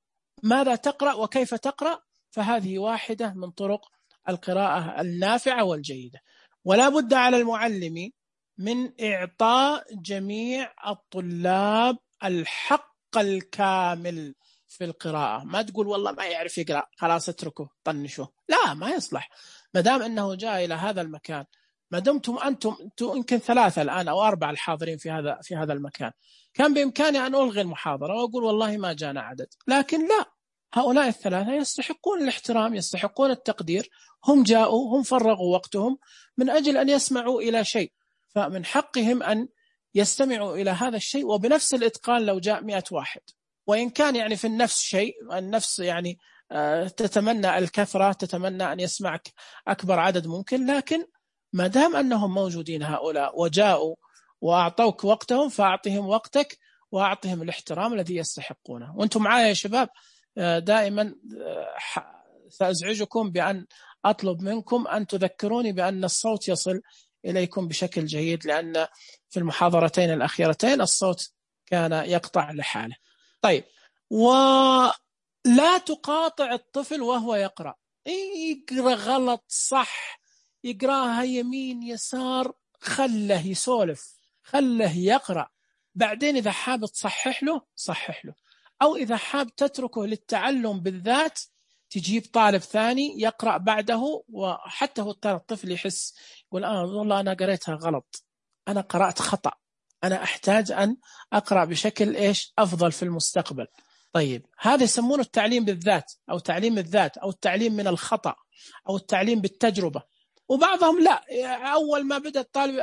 ماذا تقرأ وكيف تقرأ، فهذه واحدة من طرق القراءة النافعة والجيدة. ولا بد على المعلم من إعطاء جميع الطلاب الحق الكامل في القراءة. ما تقول والله ما يعرف يقرأ خلاص اتركه طنشه، لا ما يصلح. ما دام أنه جاء إلى هذا المكان، ما دمتم أنتم يمكن 3 الآن أو 4 الحاضرين في هذا المكان، كان بإمكاني أن ألغي المحاضرة وأقول والله ما جانا عدد، لكن لا، هؤلاء ال3 يستحقون الاحترام، يستحقون التقدير. هم جاءوا، هم فرغوا وقتهم من أجل أن يسمعوا إلى شيء، فمن حقهم أن يستمعوا إلى هذا الشيء وبنفس الإتقان لو جاء 100 واحد. وإن كان يعني في النفس شيء، النفس يعني تتمنى الكثرة، تتمنى أن يسمعك أكبر عدد ممكن، لكن ما دام أنهم موجودين هؤلاء وجاءوا وأعطوك وقتهم، فأعطهم وقتك وأعطهم الاحترام الذي يستحقونه. وأنتم معايا يا شباب؟ دائما سأزعجكم بأن أطلب منكم أن تذكروني بأن الصوت يصل إليكم بشكل جيد، لأن في المحاضرتين الأخيرتين الصوت كان يقطع لحاله. طيب، ولا تقاطع الطفل وهو يقرأ. يقرأ غلط صح، يقرأها يمين يسار، خله يسولف، خله يقرأ. بعدين إذا حاب تصحح له صحح له، أو إذا حاب تتركه للتعلم بالذات تجيب طالب ثاني يقرأ بعده، وحتى هو الطفل يحس يقول والله أنا قرأتها غلط، أنا قرأت خطأ، أنا أحتاج أن أقرأ بشكل أفضل في المستقبل. طيب هذا يسمونه التعليم بالذات، أو تعليم الذات، أو التعليم من الخطأ، أو التعليم بالتجربة. وبعضهم لا، أول ما بدأ الطالب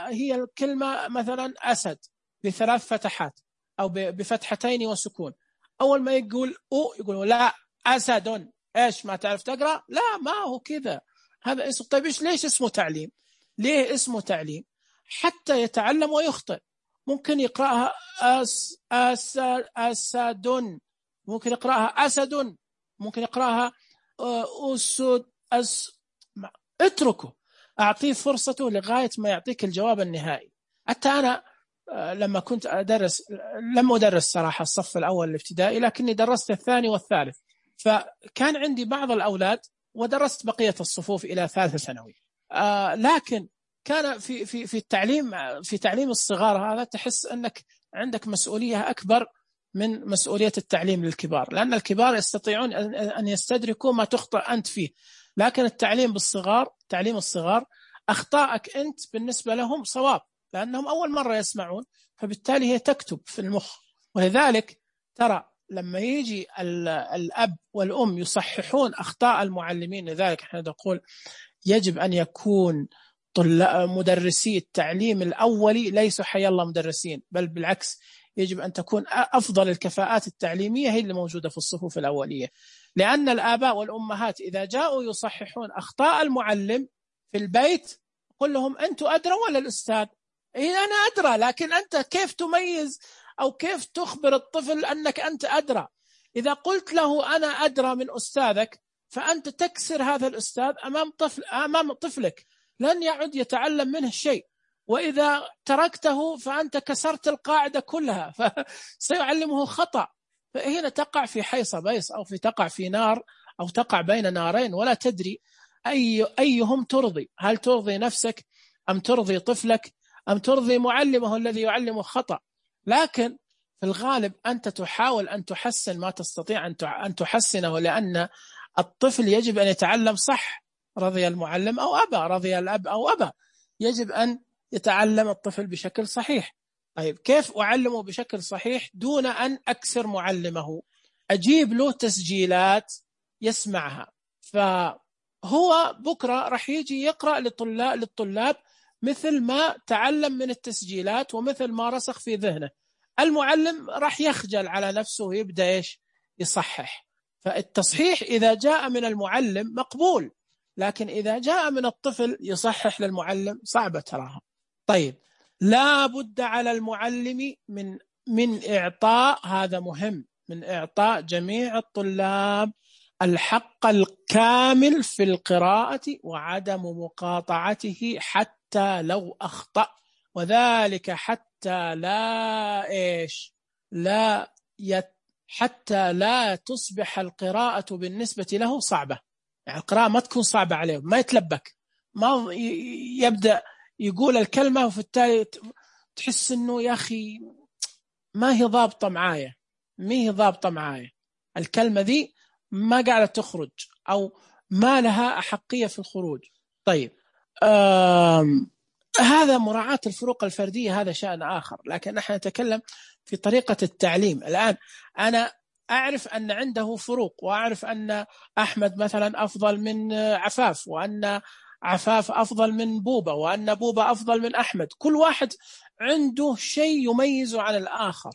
هي الكلمة مثلا أسد ب3 فتحات أو بفتحتين وسكون، أول ما يقول يقول لا أسد، إيش ما تعرف تقرأ؟ لا، ما هو كذا، هذا اسم. طيب ليش اسمه تعليم؟ ليه اسمه تعليم؟ حتى يتعلم ويخطئ. ممكن يقرأها أسد، ممكن يقرأها أسد، ممكن يقرأها أسد اتركه، أعطيه فرصته لغاية ما يعطيك الجواب النهائي. حتى أنا لما كنت أدرس، لم أدرس صراحة الصف الأول الابتدائي، لكني درست الثاني والثالث، فكان عندي بعض الأولاد ودرست بقية الصفوف إلى 3 ثانوي. لكن كان في تعليم الصغار هذا تحس أنك عندك مسؤولية أكبر من مسؤولية التعليم للكبار، لأن الكبار يستطيعون أن يستدركوا ما تخطئ أنت فيه، لكن التعليم بالصغار، تعليم الصغار، أخطائك أنت بالنسبة لهم صواب، لأنهم أول مرة يسمعون، فبالتالي هي تكتب في المخ. ولذلك ترى لما يجي الأب والأم يصححون أخطاء المعلمين، لذلك احنا نقول يجب أن يكون مدرسي التعليم الأولي ليسوا حي الله مدرسين، بل بالعكس يجب أن تكون أفضل الكفاءات التعليمية هي اللي موجودة في الصفوف الأولية، لأن الآباء والأمهات إذا جاءوا يصححون أخطاء المعلم في البيت قل لهم أنتم أدرى ولا الأستاذ؟ إيه أنا أدرى، لكن أنت كيف تميز أو كيف تخبر الطفل أنك أنت أدرى؟ إذا قلت له أنا أدرى من أستاذك فأنت تكسر هذا الأستاذ أمام طفلك، لن يعد يتعلم منه شيء، وإذا تركته فأنت كسرت القاعدة كلها فسيعلمه خطأ، فهنا تقع في حيص بيص أو تقع في نار أو تقع بين نارين ولا تدري أيهم ترضي، هل ترضي نفسك أم ترضي طفلك أم ترضي معلمه الذي يعلمه خطأ؟ لكن في الغالب أنت تحاول أن تحسن ما تستطيع أن تحسنه، لأن الطفل يجب أن يتعلم صح، رضي المعلم أو أبى، رضي الأب أو أبى، يجب أن يتعلم الطفل بشكل صحيح. طيب كيف أعلمه بشكل صحيح دون أن أكسر معلمه؟ أجيب له تسجيلات يسمعها، فهو بكرة رح يجي يقرأ للطلاب مثل ما تعلم من التسجيلات ومثل ما رسخ في ذهنه. المعلم رح يخجل على نفسه ويبدأ يصحح. فالتصحيح إذا جاء من المعلم مقبول، لكن إذا جاء من الطفل يصحح للمعلم صعبة تراها. طيب لا بد على المعلم من إعطاء، هذا مهم، من إعطاء جميع الطلاب الحق الكامل في القراءة وعدم مقاطعته حتى لو أخطأ، وذلك حتى حتى لا تصبح القراءة بالنسبة له صعبة، يعني القراءة ما تكون صعبة عليه، ما يتلبك، ما يبدأ يقول الكلمة وفي التالي تحس إنه يا أخي ما هي ضابطة معايا، الكلمة دي ما قاعدة تخرج أو ما لها أحقية في الخروج. طيب هذا مراعاة الفروق الفردية، هذا شأن آخر، لكن نحن نتكلم في طريقة التعليم. الآن أنا أعرف أن عنده فروق، وأعرف أن أحمد مثلا أفضل من عفاف، وأن عفاف أفضل من بوبا، وأن بوبا أفضل من أحمد، كل واحد عنده شيء يميزه عن الآخر،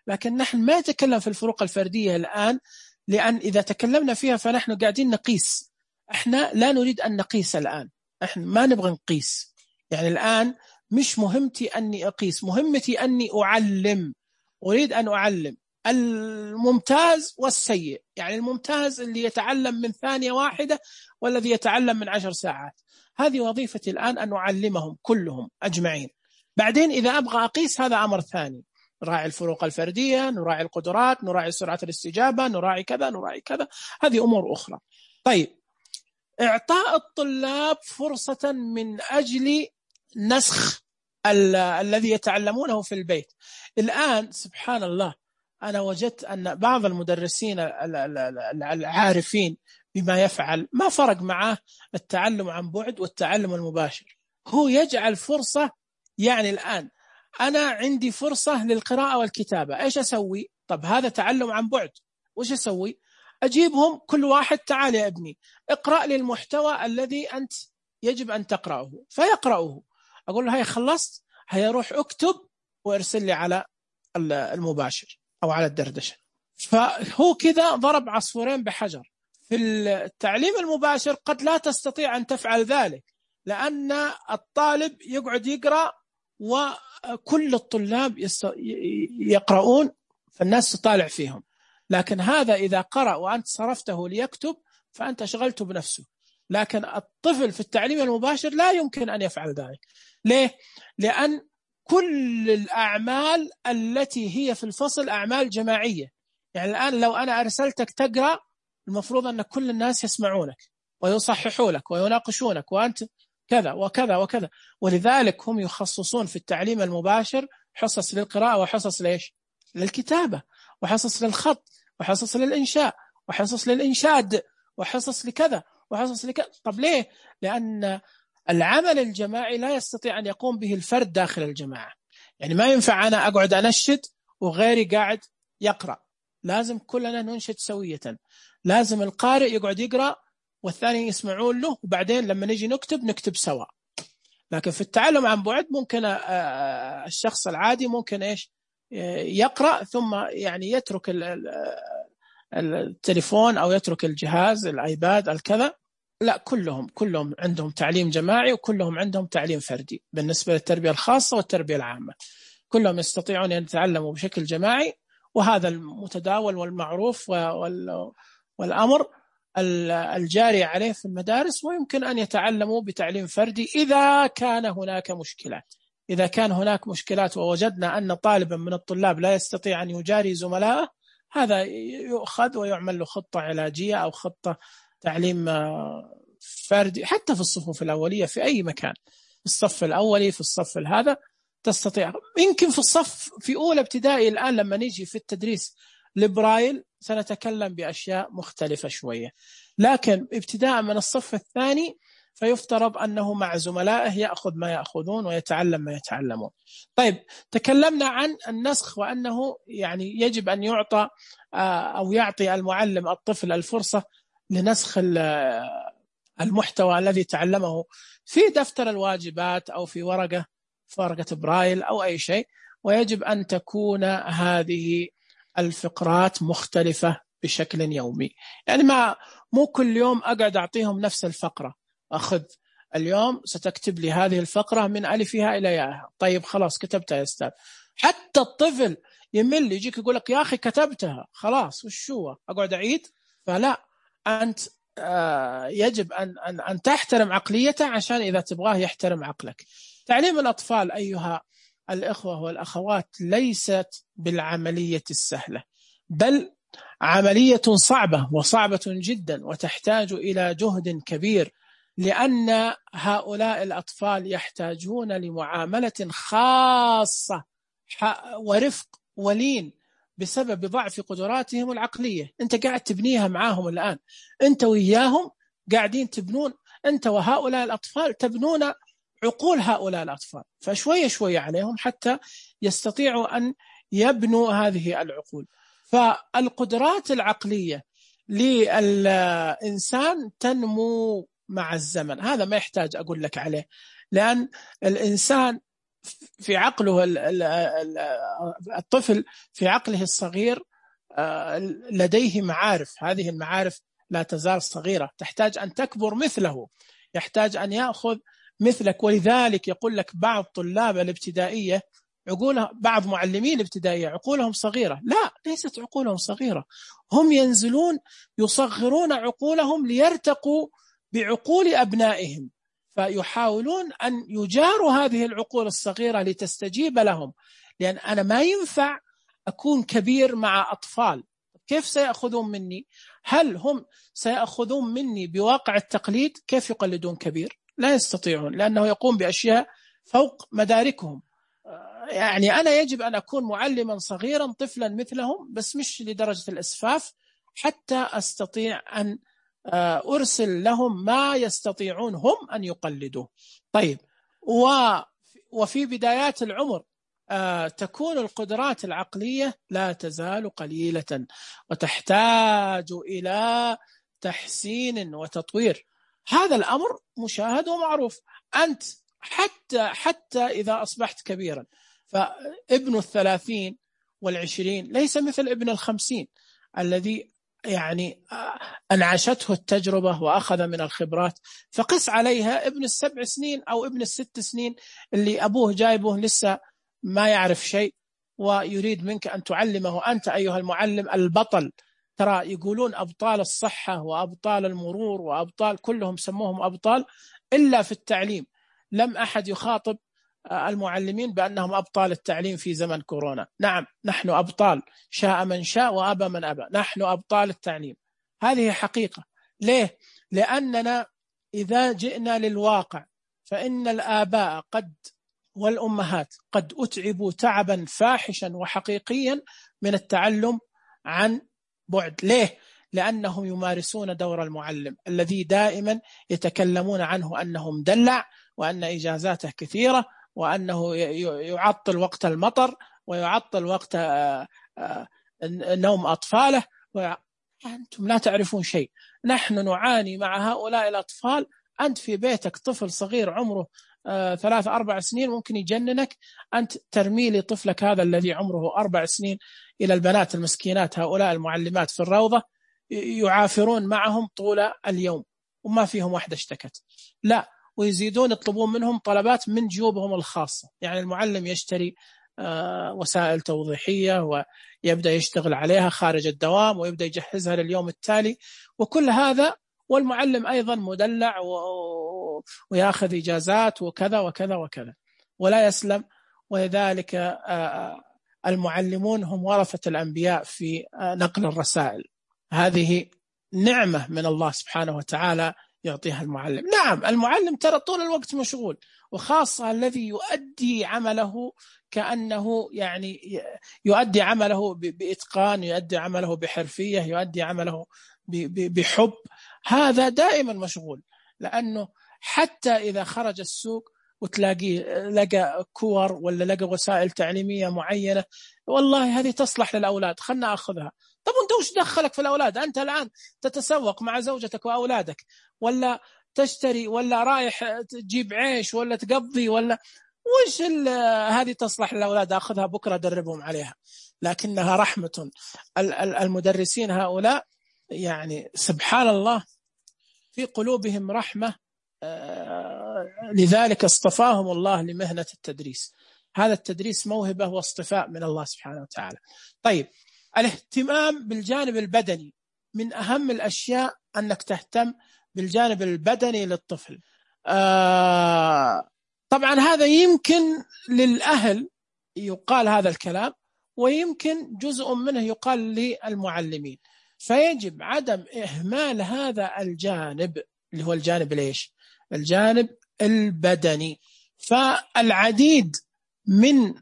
لكن نحن ما نتكلم في الفروق الفردية الآن، لأن إذا تكلمنا فيها فنحن قاعدين نقيس. إحنا لا نريد أن نقيس الآن، إحنا ما نبغى نقيس، يعني الآن مش مهمتي أني أقيس، مهمتي أني أعلم، أريد أن أعلم الممتاز والسيء، يعني الممتاز اللي يتعلم من ثانية واحدة والذي يتعلم من 10 ساعات، هذه وظيفتي الآن أن أعلمهم كلهم أجمعين. بعدين إذا أبغى أقيس هذا أمر ثاني، نراعي الفروق الفردية، نراعي القدرات، نراعي سرعة الاستجابة، نراعي كذا نراعي كذا، هذه أمور أخرى. طيب إعطاء الطلاب فرصة من أجل نسخ الذي يتعلمونه في البيت. الآن سبحان الله أنا وجدت أن بعض المدرسين العارفين بما يفعل ما فرق معه التعلم عن بعد والتعلم المباشر، هو يجعل فرصة، يعني الآن أنا عندي فرصة للقراءة والكتابة، إيش أسوي؟ طب هذا تعلم عن بعد، وإيش أسوي؟ أجيبهم كل واحد تعال يا ابني اقرأ لي المحتوى الذي أنت يجب أن تقرأه، فيقرأه، أقول له هيا خلصت، هيا روح اكتب وارسل لي على المباشر أو على الدردشة. فهو كذا ضرب عصفورين بحجر. في التعليم المباشر قد لا تستطيع أن تفعل ذلك، لأن الطالب يقعد يقرأ وكل الطلاب يقرؤون فالناس تطالع فيهم، لكن هذا إذا قرأ وأنت صرفته ليكتب فأنت شغلته بنفسه. لكن الطفل في التعليم المباشر لا يمكن أن يفعل ذلك. ليه؟ لأن كل الأعمال التي هي في الفصل أعمال جماعية، يعني الآن لو أنا أرسلتك تقرأ المفروض أن كل الناس يسمعونك ويصححوا لك ويناقشونك وأنت كذا وكذا وكذا، ولذلك هم يخصصون في التعليم المباشر حصص للقراءة وحصص ليش؟ للكتابة، وحصص للخط، وحصص للإنشاء، وحصص للإنشاد، وحصص لكذا وحصص لكذا. طب ليه؟ لأن العمل الجماعي لا يستطيع أن يقوم به الفرد داخل الجماعة، يعني ما ينفع أنا أقعد أنشد وغيري قاعد يقرأ، لازم كلنا ننشد سوية، لازم القارئ يقعد يقرأ والثاني يسمعون له، وبعدين لما نجي نكتب سوا. لكن في التعلم عن بعد ممكن الشخص العادي ممكن إيش يقرأ ثم يعني يترك التليفون أو يترك الجهاز الآيباد الكذا. لا، كلهم عندهم تعليم جماعي وكلهم عندهم تعليم فردي. بالنسبة للتربية الخاصة والتربية العامة كلهم يستطيعون أن يتعلموا بشكل جماعي، وهذا المتداول والمعروف والأمر الجاري عليه في المدارس. ويمكن أن يتعلموا بتعليم فردي إذا كان هناك مشكلات. إذا كان هناك مشكلات ووجدنا أن طالبا من الطلاب لا يستطيع أن يجاري زملائه، هذا يؤخذ ويعمل له خطة علاجية أو خطة تعليم فردي، حتى في الصفوف الأولية في أي مكان، في الصف الأولي، في الصف هذا تستطيع. يمكن في الصف في أولى ابتدائي الآن لما نيجي في التدريس لبرايل سنتكلم بأشياء مختلفة شوية، لكن ابتداء من الصف الثاني فيفترض أنه مع زملائه يأخذ ما يأخذون ويتعلم ما يتعلمون. طيب، تكلمنا عن النسخ وأنه يعني يجب أن يعطى أو يعطي المعلم الطفل الفرصة لنسخ المحتوى الذي تعلمه في دفتر الواجبات أو في ورقة برايل أو أي شيء، ويجب أن تكون هذه الفقرات مختلفة بشكل يومي. يعني مو كل يوم أقعد أعطيهم نفس الفقرة، أخذ اليوم ستكتب لي هذه الفقرة من ألفها إلى ياءها. طيب خلاص كتبتها يا أستاذ. حتى الطفل يمل يجيك يقول لك يا أخي كتبتها خلاص وشو أقعد أعيد؟ فلا، أنت يجب أن تحترم عقليته عشان إذا تبغاه يحترم عقلك. تعليم الأطفال أيها الإخوة والأخوات ليست بالعملية السهلة، بل عملية صعبة وصعبة جدا، وتحتاج إلى جهد كبير، لأن هؤلاء الأطفال يحتاجون لمعاملة خاصة ورفق ولين بسبب ضعف قدراتهم العقلية. أنت قاعد تبنيها معاهم الآن، أنت وإياهم قاعدين تبنون، أنت وهؤلاء الأطفال تبنون عقول هؤلاء الأطفال، فشوية شوية عليهم حتى يستطيعوا أن يبنوا هذه العقول. فالقدرات العقلية للإنسان تنمو مع الزمن، هذا ما يحتاج أقول لك عليه، لأن الإنسان في عقله الطفل في عقله الصغير لديه معارف، هذه المعارف لا تزال صغيرة، تحتاج أن تكبر مثله، يحتاج أن يأخذ مثلك. ولذلك يقول لك بعض طلاب الابتدائية عقولها، بعض معلمين الابتدائية عقولهم صغيرة. لا، ليست عقولهم صغيرة، هم ينزلون يصغرون عقولهم ليرتقوا بعقول أبنائهم، فيحاولون أن يجاروا هذه العقول الصغيرة لتستجيب لهم. لأن أنا ما ينفع أكون كبير مع أطفال، كيف سيأخذون مني؟ هل هم سيأخذون مني بواقع التقليد؟ كيف يقلدون كبير؟ لا يستطيعون، لأنه يقوم بأشياء فوق مداركهم. يعني أنا يجب أن أكون معلما صغيرا طفلا مثلهم، بس مش لدرجة الإسفاف، حتى أستطيع أن أرسل لهم ما يستطيعون هم أن يقلدوه. طيب، وفي بدايات العمر تكون القدرات العقلية لا تزال قليلة، وتحتاج إلى تحسين وتطوير. هذا الأمر مشاهد ومعروف. أنت حتى إذا أصبحت كبيرا، فابن 30 والعشرين ليس مثل ابن 50 الذي يعني أنعشته التجربة وأخذ من الخبرات. فقس عليها ابن 7 سنين أو ابن 6 سنين اللي أبوه جايبه لسه ما يعرف شيء، ويريد منك أن تعلمه أنت أيها المعلم البطل. ترى يقولون أبطال الصحة وأبطال المرور وأبطال، كلهم سموهم أبطال إلا في التعليم. لم أحد يخاطب المعلمين بأنهم أبطال التعليم في زمن كورونا. نعم، نحن أبطال، شاء من شاء وأبى من أبى، نحن أبطال التعليم، هذه حقيقة. ليه؟ لأننا إذا جئنا للواقع فإن الآباء والأمهات قد أتعبوا تعبا فاحشا وحقيقيا من التعلم عن بعد. ليه؟ لأنهم يمارسون دور المعلم الذي دائما يتكلمون عنه أنه مدلع، وأن إجازاته كثيرة، وأنه يعطل وقت المطر، ويعطل وقت نوم أطفاله. أنتم لا تعرفون شيء، نحن نعاني مع هؤلاء الأطفال. أنت في بيتك طفل صغير عمره 3-4 سنين ممكن يجننك، أنت ترمي لي طفلك هذا الذي عمره 4 سنين إلى البنات المسكينات هؤلاء المعلمات في الروضة يعافرون معهم طول اليوم وما فيهم واحدة اشتكت، لا، ويزيدون يطلبون منهم طلبات من جيوبهم الخاصة. يعني المعلم يشتري وسائل توضيحية ويبدأ يشتغل عليها خارج الدوام ويبدأ يجهزها لليوم التالي، وكل هذا والمعلم أيضا مدلع ويأخذ إجازات وكذا وكذا وكذا ولا يسلم. ولذلك المعلمون هم ورثة الأنبياء في نقل الرسائل. هذه نعمة من الله سبحانه وتعالى يعطيها المعلم. نعم المعلم ترى طول الوقت مشغول، وخاصة الذي يؤدي عمله كأنه يعني يؤدي عمله بإتقان، يؤدي عمله بحرفية، يؤدي عمله بحب، هذا دائما مشغول. لأنه حتى إذا خرج السوق وتلاقيه لقى كور ولا لقى وسائل تعليمية معينة، والله هذه تصلح للأولاد خلنا أخذها. طب أنت وش دخلك في الأولاد؟ أنت الآن تتسوق مع زوجتك وأولادك، ولا تشتري، ولا رايح تجيب عيش، ولا تقضي، ولا وش هذه تصلح للأولاد، أخذها بكرة أدربهم عليها. لكنها رحمة. المدرسين هؤلاء يعني سبحان الله في قلوبهم رحمة، لذلك اصطفاهم الله لمهنة التدريس. هذا التدريس موهبة واصطفاء من الله سبحانه وتعالى. طيب، الاهتمام بالجانب البدني من أهم الأشياء أنك تهتم بالجانب البدني للطفل. طبعا هذا يمكن للأهل يقال هذا الكلام، ويمكن جزء منه يقال للمعلمين. فيجب عدم إهمال هذا الجانب اللي هو الجانب ليش؟ الجانب البدني. فالعديد من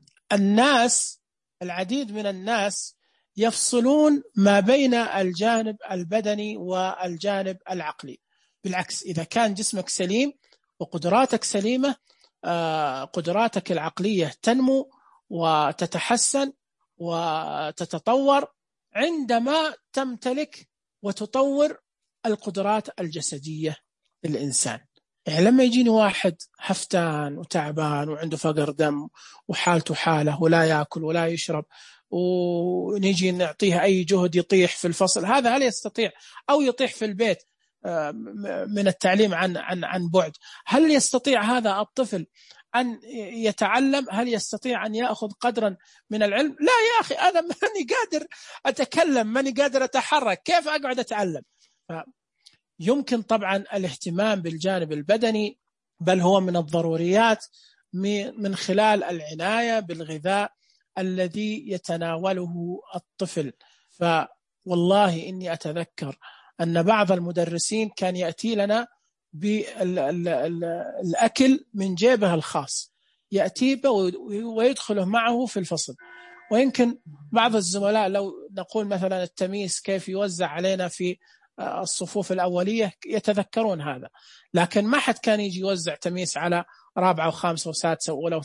الناس يفصلون ما بين الجانب البدني والجانب العقلي. بالعكس، إذا كان جسمك سليم وقدراتك سليمة، قدراتك العقلية تنمو وتتحسن وتتطور عندما تمتلك وتطور القدرات الجسدية للإنسان. يعني لما يجيني واحد هفتان وتعبان وعنده فقر دم وحالته حاله ولا يأكل ولا يشرب، ونيجي نعطيه أي جهد يطيح في الفصل، هذا هل يستطيع؟ أو يطيح في البيت من التعليم عن بعد، هل يستطيع هذا الطفل أن يتعلم؟ هل يستطيع أن يأخذ قدرا من العلم؟ لا يا أخي، أنا ماني قادر أتكلم، ماني قادر أتحرك، كيف أقعد أتعلم؟ يمكن طبعا الاهتمام بالجانب البدني، بل هو من الضروريات، من خلال العناية بالغذاء الذي يتناوله الطفل. فوالله إني أتذكر أن بعض المدرسين كان يأتي لنا بالأكل من جيبه الخاص، يأتي ويدخله معه في الفصل. ويمكن بعض الزملاء لو نقول مثلا التمييز كيف يوزع علينا في الصفوف الأولية يتذكرون هذا، لكن ما حد كان يجي يوزع تمييز على رابعة وخامسة وسادسة ولو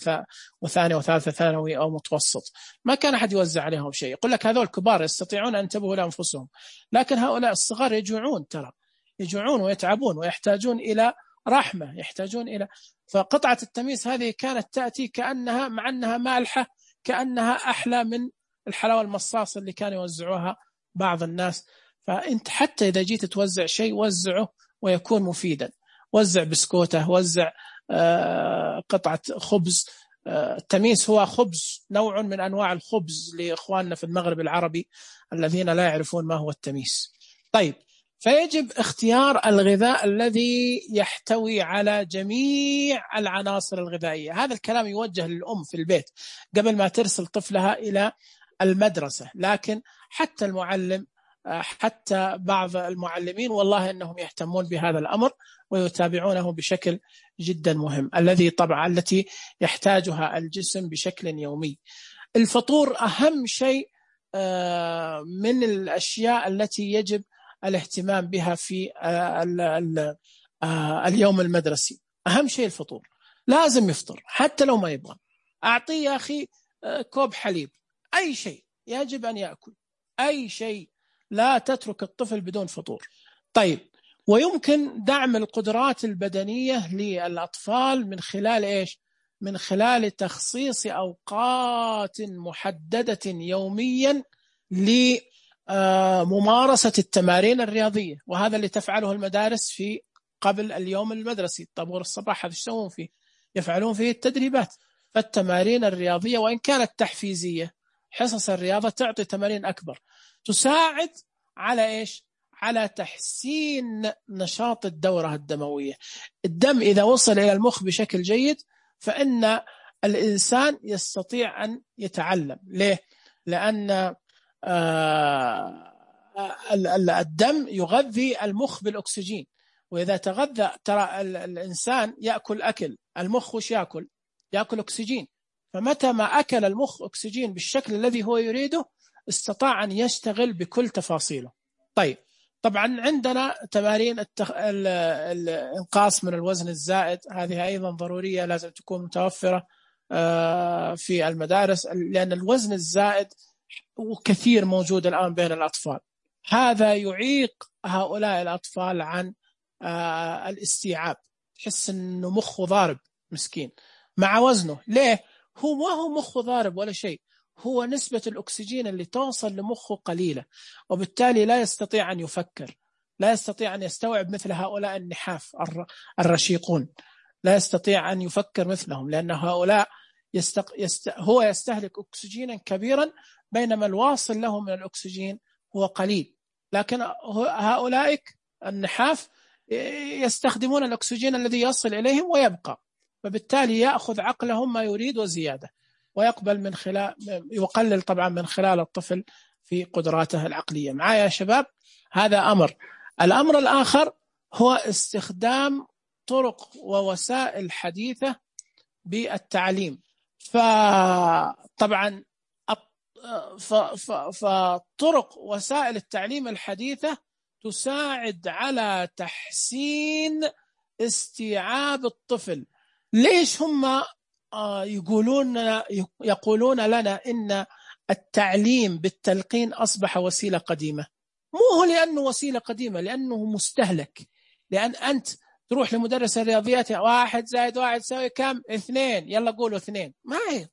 وثانية وثالثة ثانوي أو متوسط، ما كان أحد يوزع عليهم شيء. يقول لك هذول الكبار يستطيعون أن ينتبهوا لأنفسهم، لكن هؤلاء الصغار يجوعون، ترى يجوعون ويتعبون ويحتاجون إلى رحمة، يحتاجون إلى. فقطعة التمييز هذه كانت تأتي كأنها، مع أنها مالحة، كأنها أحلى من الحلاوة المصاصة اللي كانوا يوزعوها بعض الناس. فأنت حتى إذا جيت توزع شيء وزعه ويكون مفيدا، وزع بسكوته، وزع قطعة خبز. التميس هو خبز، نوع من أنواع الخبز لإخواننا في المغرب العربي الذين لا يعرفون ما هو التميس. طيب، فيجب اختيار الغذاء الذي يحتوي على جميع العناصر الغذائية. هذا الكلام يوجه للأم في البيت قبل ما ترسل طفلها إلى المدرسة، لكن حتى المعلم، حتى بعض المعلمين والله أنهم يهتمون بهذا الأمر ويتابعونه بشكل جدا مهم، التي يحتاجها الجسم بشكل يومي. الفطور أهم شيء من الأشياء التي يجب الاهتمام بها في اليوم المدرسي. أهم شيء الفطور، لازم يفطر حتى لو ما يبغى. أعطيه يا أخي كوب حليب، أي شيء يجب أن يأكل، أي شيء، لا تترك الطفل بدون فطور. طيب، ويمكن دعم القدرات البدنية للأطفال من خلال إيش؟ من خلال تخصيص أوقات محددة يوميا لممارسة التمارين الرياضية، وهذا اللي تفعله المدارس في قبل اليوم المدرسي، طابور الصباح هذا يسوون فيه، يفعلون فيه التدريبات. فالتمارين الرياضية وإن كانت تحفيزية، حصص الرياضة تعطي تمارين أكبر تساعد على إيش؟ على تحسين نشاط الدورة الدموية. الدم إذا وصل إلى المخ بشكل جيد فإن الإنسان يستطيع أن يتعلم. ليه؟ لأن الدم يغذي المخ بالأكسجين، وإذا تغذى، ترى الإنسان يأكل أكل، المخ وش يأكل؟ يأكل أكسجين. فمتى ما أكل المخ أكسجين بالشكل الذي هو يريده استطاع أن يشتغل بكل تفاصيله. طيب، طبعا عندنا تمارين الإنقاص من الوزن الزائد، هذه أيضا ضرورية، لازم تكون متوفرة في المدارس، لأن الوزن الزائد وكثير موجود الآن بين الأطفال. هذا يعيق هؤلاء الأطفال عن الاستيعاب، تحس أنه مخه ضارب مسكين مع وزنه. ليه؟ هو ما هو مخه ضارب ولا شيء، هو نسبة الأكسجين اللي توصل لمخه قليلة، وبالتالي لا يستطيع أن يفكر، لا يستطيع أن يستوعب مثل هؤلاء النحاف الرشيقون، لا يستطيع أن يفكر مثلهم، لأن هؤلاء هو يستهلك أكسجينا كبيرا بينما الواصل له من الأكسجين هو قليل. لكن هؤلاء النحاف يستخدمون الأكسجين الذي يصل إليهم ويبقى، فبالتالي يأخذ عقلهم ما يريد وزيادة، ويقبل من خلال، يقلل طبعا من خلال الطفل في قدراته العقلية. معايا يا شباب؟ هذا أمر. الأمر الآخر هو استخدام طرق ووسائل حديثة بالتعليم. فطبعا فطرق وسائل التعليم الحديثة تساعد على تحسين استيعاب الطفل. ليش هم يقولون لنا إن التعليم بالتلقين أصبح وسيلة قديمة؟ مو هو لأنه وسيلة قديمة، لأنه مستهلك. لأن أنت تروح لمدرس الرياضيات، 1 زائد 1 يساوي كم؟ 2، يلا قولوا 2. ما هي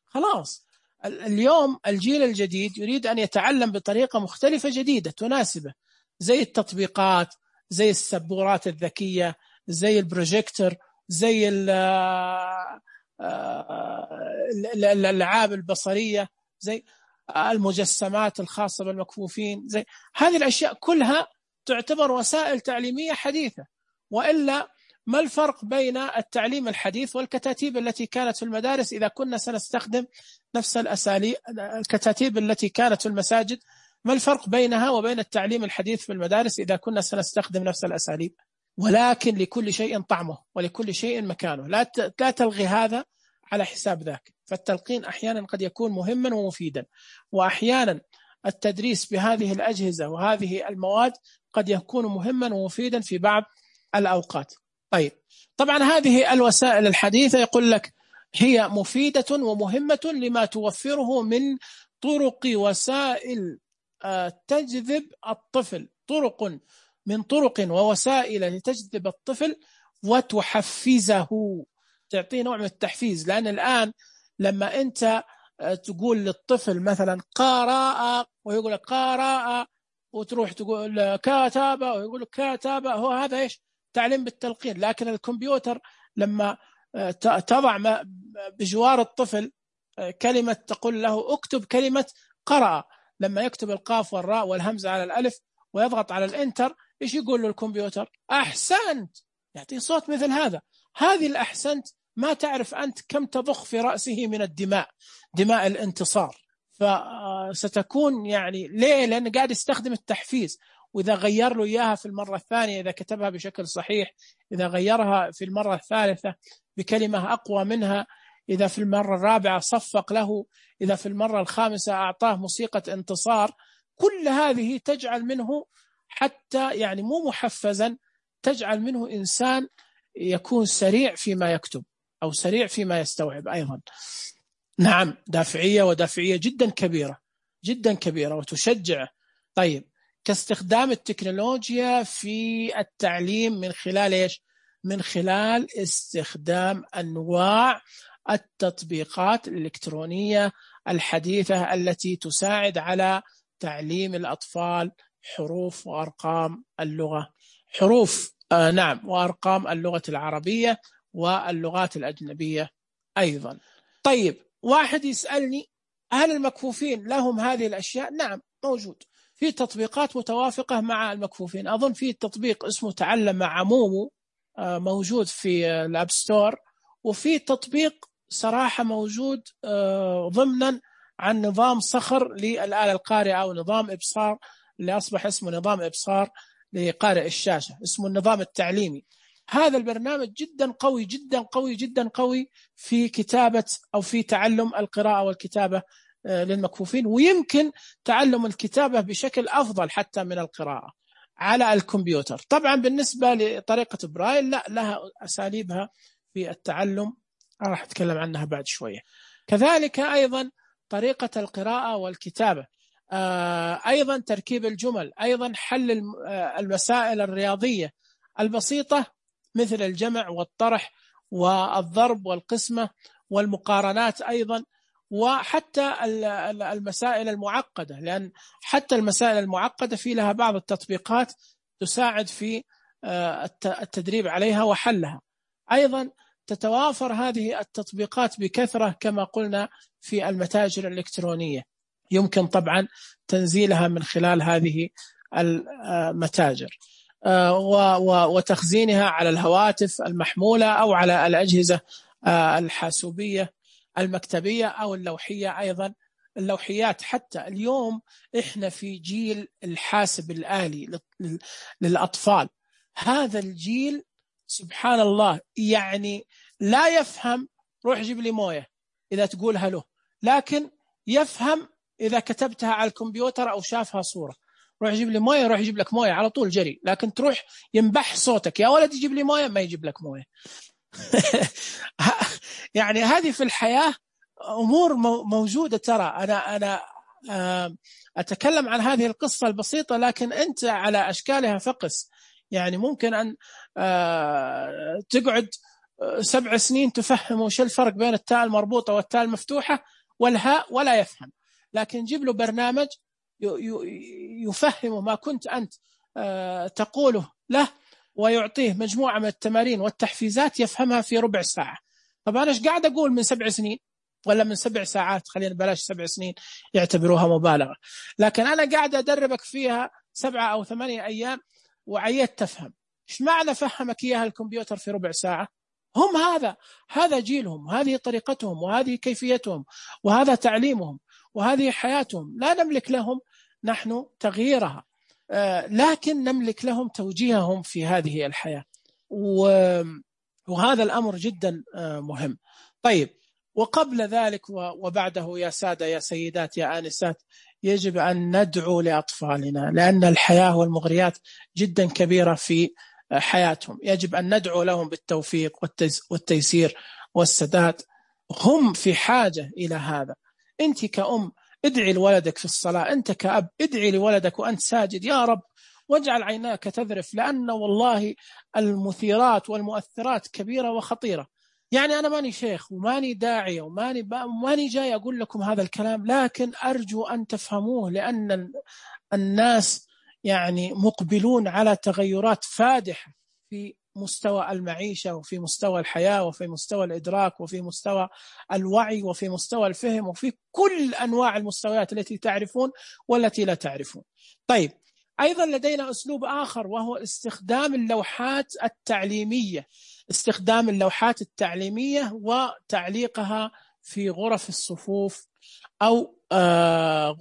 خلاص. اليوم الجيل الجديد يريد أن يتعلم بطريقة مختلفة جديدة تناسبه، زي التطبيقات، زي السبورات الذكية، زي البروجيكتور، زي الألعاب البصرية، زي المجسمات الخاصة بالمكفوفين، زي هذه الأشياء كلها تعتبر وسائل تعليمية حديثة. وإلا ما الفرق بين التعليم الحديث والكتاتيب التي كانت في المدارس إذا كنا سنستخدم نفس الأساليب؟ الكتاتيب التي كانت في المساجد، ما الفرق بينها وبين التعليم الحديث في المدارس إذا كنا سنستخدم نفس الأساليب؟ ولكن لكل شيء طعمه ولكل شيء مكانه، لا تلغي هذا على حساب ذاك. فالتلقين أحيانا قد يكون مهما ومفيدا، وأحيانا التدريس بهذه الأجهزة وهذه المواد قد يكون مهما ومفيدا في بعض الأوقات. طيب، طبعا هذه الوسائل الحديثة يقول لك هي مفيدة ومهمة لما توفره من طرق وسائل تجذب الطفل، من طرق ووسائل لتجذب الطفل وتحفزه، تعطيه نوع من التحفيز. لأن الآن لما أنت تقول للطفل مثلا قراءة ويقول لك قراءة، وتروح تقول كتابة ويقول لك كتابة، هو هذا إيش؟ تعليم بالتلقين. لكن الكمبيوتر لما تضع بجوار الطفل كلمة، تقول له اكتب كلمة قرأ، لما يكتب القاف والراء والهمزة على الألف ويضغط على الانتر، إيش يقول له الكمبيوتر؟ أحسنت، يعطيه صوت مثل هذا. هذه الأحسنت ما تعرف أنت كم تضخ في رأسه من الدماء، دماء الانتصار. فستكون يعني ليه؟ لأنه قاعد يستخدم التحفيز. وإذا غير له إياها في المرة الثانية، إذا كتبها بشكل صحيح، إذا غيرها في المرة الثالثة بكلمة أقوى منها، إذا في المرة الرابعة صفق له، إذا في المرة الخامسة أعطاه موسيقى انتصار، كل هذه تجعل منه حتى يعني مو محفزا، تجعل منه إنسان يكون سريع فيما يكتب أو سريع فيما يستوعب أيضا. نعم، دافعية، ودافعية جدا كبيرة. جدا كبيرة وتشجع. طيب، كاستخدام التكنولوجيا في التعليم من خلال إيش؟ من خلال استخدام أنواع التطبيقات الإلكترونية الحديثة التي تساعد على تعليم الأطفال حروف وأرقام اللغة، حروف نعم وأرقام اللغة العربية واللغات الأجنبية أيضا. طيب، واحد يسألني هل المكفوفين لهم هذه الأشياء؟ نعم، موجود في تطبيقات متوافقة مع المكفوفين. أظن في تطبيق اسمه تعلم مع مومو موجود في الأب ستور، وفي تطبيق صراحة موجود ضمنا عن نظام صخر للآلة القارئة أو نظام إبصار اللي أصبح اسمه نظام إبصار لقارئ الشاشة، اسمه النظام التعليمي. هذا البرنامج جدا قوي جدا قوي جدا قوي في كتابة أو في تعلم القراءة والكتابة للمكفوفين، ويمكن تعلم الكتابة بشكل أفضل حتى من القراءة على الكمبيوتر. طبعا بالنسبة لطريقة برايل لا، لها أساليبها في التعلم راح أتكلم عنها بعد شوية. كذلك أيضا طريقة القراءة والكتابة، أيضا تركيب الجمل، أيضا حل المسائل الرياضية البسيطة مثل الجمع والطرح والضرب والقسمة والمقارنات أيضا، وحتى المسائل المعقدة، لأن حتى المسائل المعقدة في لها بعض التطبيقات تساعد في التدريب عليها وحلها. أيضا تتوافر هذه التطبيقات بكثرة كما قلنا في المتاجر الإلكترونية، يمكن طبعا تنزيلها من خلال هذه المتاجر وتخزينها على الهواتف المحمولة أو على الأجهزة الحاسوبية المكتبية أو اللوحية. أيضا اللوحيات، حتى اليوم إحنا في جيل الحاسب الآلي للأطفال. هذا الجيل سبحان الله يعني لا يفهم روح جيب لي موية إذا تقولها له، لكن يفهم إذا كتبتها على الكمبيوتر أو شافها صورة. روح جيب لي موية، روح يجيب لك موية على طول جري، لكن تروح ينبح صوتك يا ولد يجيب لي موية، ما يجيب لك موية. يعني هذه في الحياة أمور موجودة. ترى أنا أتكلم عن هذه القصة البسيطة، لكن أنت على أشكالها فقس. يعني ممكن أن تقعد 7 سنين تفهمه وش الفرق بين التاء المربوطة والتاء المفتوحة والهاء ولا يفهم، لكن جيب له برنامج يفهمه ما كنت أنت تقوله له، ويعطيه مجموعة من التمارين والتحفيزات يفهمها في ربع ساعة. طبعا أنا إيش قاعد أقول من 7 سنين ولا من 7 ساعات؟ خلينا بلاش 7 سنين يعتبروها مبالغة، لكن أنا قاعد أدربك فيها 7 أو 8 أيام وعيت تفهم. إيش معنى فهمك إياها الكمبيوتر في ربع ساعة؟ هم هذا جيلهم، هذه طريقتهم، وهذه كيفيتهم، وهذا تعليمهم، وهذه حياتهم. لا نملك لهم نحن تغييرها، لكن نملك لهم توجيههم في هذه الحياة، وهذا الأمر جدا مهم. طيب، وقبل ذلك وبعده يا سادة يا سيدات يا آنسات، يجب أن ندعو لأطفالنا، لأن الحياة والمغريات جدا كبيرة في حياتهم. يجب أن ندعو لهم بالتوفيق والتيسير والسداد. هم في حاجة إلى هذا. أنت كأم ادعي لولدك في الصلاة، أنت كأب ادعي لولدك وأنت ساجد، يا رب واجعل عيناك تذرف، لأن والله المثيرات والمؤثرات كبيرة وخطيرة. يعني أنا ماني شيخ وماني داعية وماني جاي أقول لكم هذا الكلام، لكن أرجو أن تفهموه، لأن الناس يعني مقبلون على تغيرات فادحة في مستوى المعيشة وفي مستوى الحياة وفي مستوى الإدراك وفي مستوى الوعي وفي مستوى الفهم وفي كل أنواع المستويات التي تعرفون والتي لا تعرفون. طيب، أيضا لدينا أسلوب آخر وهو استخدام اللوحات التعليمية، استخدام اللوحات التعليمية وتعليقها في غرف الصفوف أو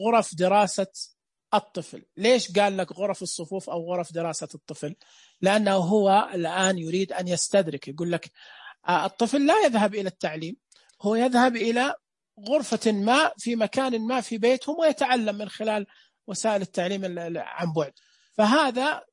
غرف دراسة الطفل. ليش قال لك غرف الصفوف أو غرف دراسة الطفل؟ لأنه هو الآن يريد أن يستدرك، يقول لك الطفل لا يذهب إلى التعليم، هو يذهب إلى غرفة ما في مكان ما في بيتهم ويتعلم من خلال وسائل التعليم عن بعد. فهذا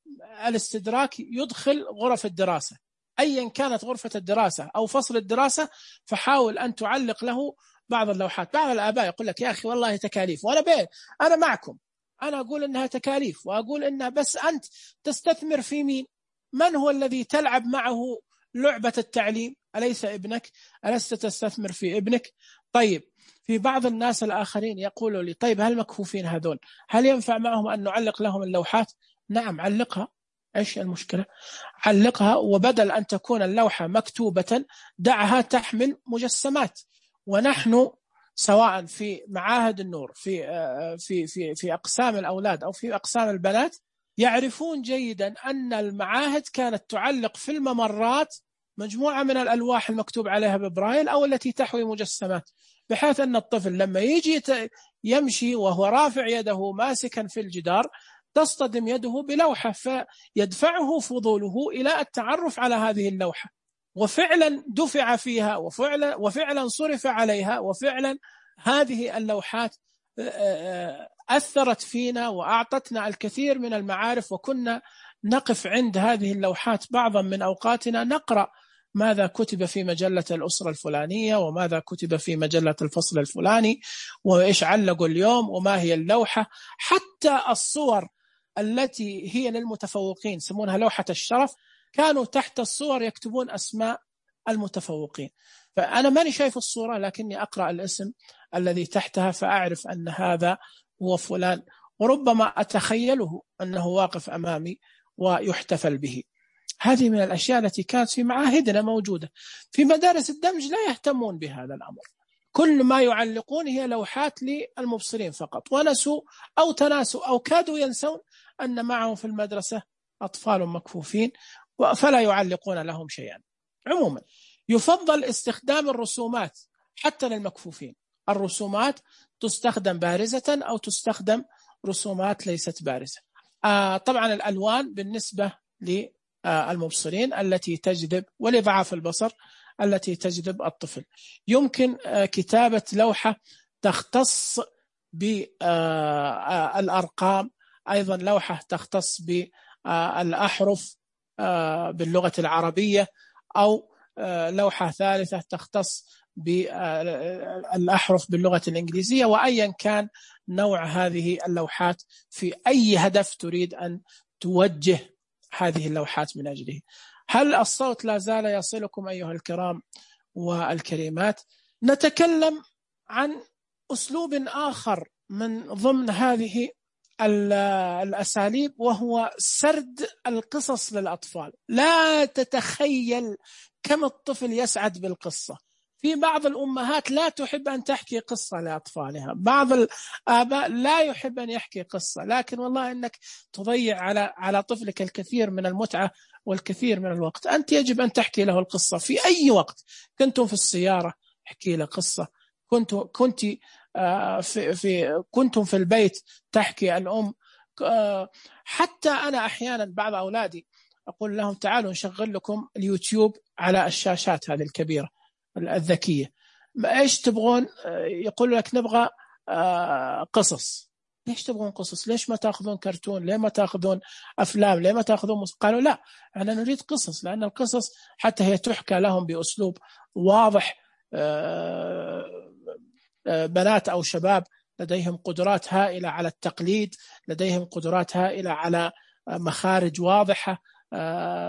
الاستدراك يدخل غرف الدراسة، أيا كانت غرفة الدراسة أو فصل الدراسة، فحاول أن تعلق له بعض اللوحات. بعض الآباء يقول لك يا أخي والله تكاليف، وأنا أنا معكم، أنا أقول إنها تكاليف، وأقول إنها، بس أنت تستثمر في مين؟ من هو الذي تلعب معه لعبة التعليم؟ أليس ابنك؟ ألست تستثمر في ابنك؟ طيب، في بعض الناس الآخرين يقولوا لي طيب هل مكفوفين هذول هل ينفع معهم أن نعلق لهم اللوحات؟ نعم، علقها، إيش المشكلة؟ علقها، وبدل أن تكون اللوحة مكتوبة دعها تحمل مجسمات. ونحن سواء في معاهد النور، في أقسام الأولاد أو في أقسام البنات، يعرفون جيدا أن المعاهد كانت تعلق في الممرات مجموعة من الألواح المكتوب عليها ببرايل أو التي تحوي مجسمات، بحيث أن الطفل لما يجي يمشي وهو رافع يده ماسكا في الجدار تصطدم يده بلوحة فيدفعه فضوله إلى التعرف على هذه اللوحة، وفعلا دفع فيها، وفعلا صرف عليها، وفعلا هذه اللوحات أثرت فينا وأعطتنا الكثير من المعارف. وكنا نقف عند هذه اللوحات بعضا من أوقاتنا نقرأ ماذا كتب في مجلة الأسرة الفلانية، وماذا كتب في مجلة الفصل الفلاني، وإيش علقوا اليوم، وما هي اللوحة. حتى الصور التي هي للمتفوقين يسمونها لوحة الشرف، كانوا تحت الصور يكتبون أسماء المتفوقين. فأنا ماني شايف الصورة، لكني أقرأ الاسم الذي تحتها فأعرف أن هذا هو فلان، وربما أتخيله أنه واقف أمامي ويحتفل به. هذه من الأشياء التي كانت في معاهدنا موجودة. في مدارس الدمج لا يهتمون بهذا الأمر، كل ما يعلقون هي لوحات للمبصرين فقط، ونسوا أو تناسوا أو كادوا ينسون أن معهم في المدرسة أطفال مكفوفين فلا يعلقون لهم شيئا. عموما يفضل استخدام الرسومات حتى للمكفوفين. الرسومات تستخدم بارزة أو تستخدم رسومات ليست بارزة. طبعا الألوان بالنسبة للمبصرين التي تجذب، ولضعاف البصر التي تجذب الطفل. يمكن كتابة لوحة تختص بالأرقام، أيضا لوحة تختص بالأحرف باللغة العربية، أو لوحة ثالثة تختص بالأحرف باللغة الإنجليزية. وأيا كان نوع هذه اللوحات في أي هدف تريد أن توجه هذه اللوحات من أجله. هل الصوت لا زال يصلكم أيها الكرام والكريمات؟ نتكلم عن أسلوب آخر من ضمن هذه الأساليب، وهو سرد القصص للأطفال. لا تتخيل كم الطفل يسعد بالقصة. في بعض الأمهات لا تحب أن تحكي قصة لأطفالها، بعض الآباء لا يحب أن يحكي قصة، لكن والله أنك تضيع على طفلك الكثير من المتعة والكثير من الوقت. أنت يجب أن تحكي له القصة في أي وقت. كنتم في السيارة احكي له قصة، كنتم في البيت تحكي الأم. حتى أنا أحيانا بعض أولادي أقول لهم تعالوا نشغل لكم اليوتيوب على الشاشات هذه الكبيرة الذكية، إيش تبغون؟ يقول لك نبغى قصص. ليش تبغون قصص؟ ليش ما تأخذون كرتون؟ ليه ما تأخذون أفلام؟ ليه ما تأخذون قالوا لا، أنا نريد قصص، لأن القصص حتى هي تحكى لهم بأسلوب واضح. بنات أو شباب لديهم قدرات هائلة على التقليد، لديهم قدرات هائلة على مخارج واضحة،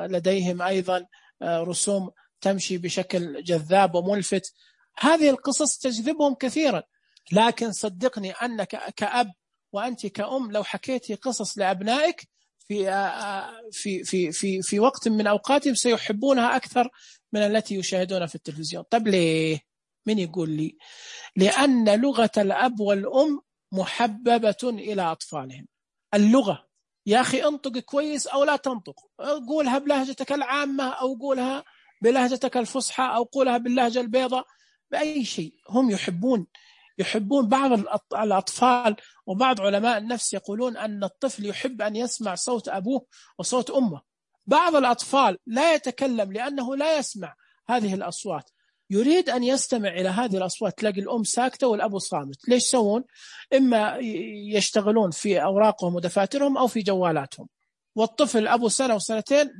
لديهم أيضا رسوم تمشي بشكل جذاب وملفت. هذه القصص تجذبهم كثيرا. لكن صدقني أنك كأب وأنت كأم لو حكيتي قصص لأبنائك في وقت من أوقاتهم سيحبونها أكثر من التي يشاهدونها في التلفزيون. طب ليه؟ من يقول لي؟ لأن لغة الأب والأم محببة إلى أطفالهم. اللغة يا أخي انطق كويس أو لا تنطق، قولها بلهجتك العامة أو قولها بلهجتك الفصحى أو قولها باللهجة البيضاء، بأي شيء. هم يحبون بعض الأطفال، وبعض علماء النفس يقولون أن الطفل يحب أن يسمع صوت أبوه وصوت أمه. بعض الأطفال لا يتكلم لأنه لا يسمع هذه الأصوات، يريد أن يستمع إلى هذه الأصوات. تلاقي الأم ساكتة والأب صامت. ليش يسوون؟ إما يشتغلون في أوراقهم ودفاترهم أو في جوالاتهم. والطفل أبو سنة وسنتين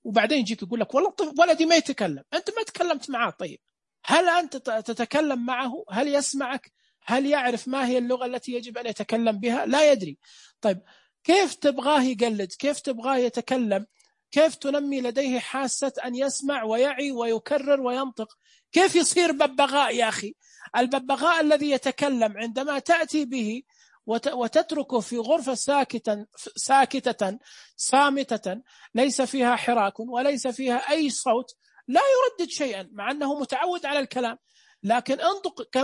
وبعدين يجيك يقول لك والله الطفل ولدي ما يتكلم، أنت ما تكلمت معه. طيب هل أنت تتكلم معه؟ هل يسمعك؟ هل يعرف ما هي اللغة التي يجب أن يتكلم بها؟ لا يدري. طيب كيف تبغاه يقلد؟ كيف تبغاه يتكلم؟ كيف تنمي لديه حاسة أن يسمع ويعي ويكرر وينطق؟ كيف يصير ببغاء يا أخي؟ الببغاء الذي يتكلم عندما تأتي به وتتركه في غرفة ساكتة صامتة ليس فيها حراك وليس فيها أي صوت، لا يردد شيئا مع أنه متعود على الكلام، لكن انطق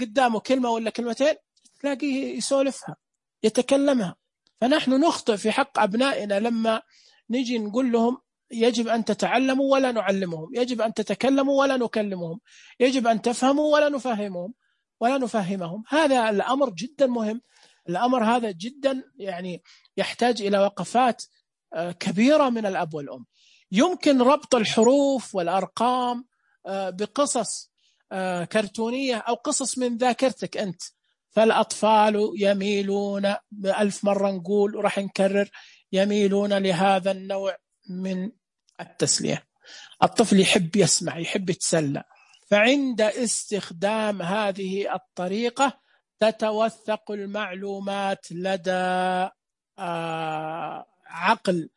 قدامه كلمة ولا كلمتين تلاقيه يسولفها يتكلمها. فنحن نخطئ في حق أبنائنا لما نجي نقول لهم يجب أن تتعلموا ولا نعلمهم، يجب أن تتكلموا ولا نكلمهم، يجب أن تفهموا ولا نفهمهم. هذا الأمر جدا مهم، الأمر هذا جدا يعني يحتاج إلى وقفات كبيرة من الأب والأم. يمكن ربط الحروف والأرقام بقصص كرتونية أو قصص من ذاكرتك أنت، فالأطفال يميلون، بألف مرة نقول وراح نكرر، يميلون لهذا النوع من التسلية. الطفل يحب يسمع، يحب يتسلى، فعند استخدام هذه الطريقة تتوثق المعلومات لدى عقل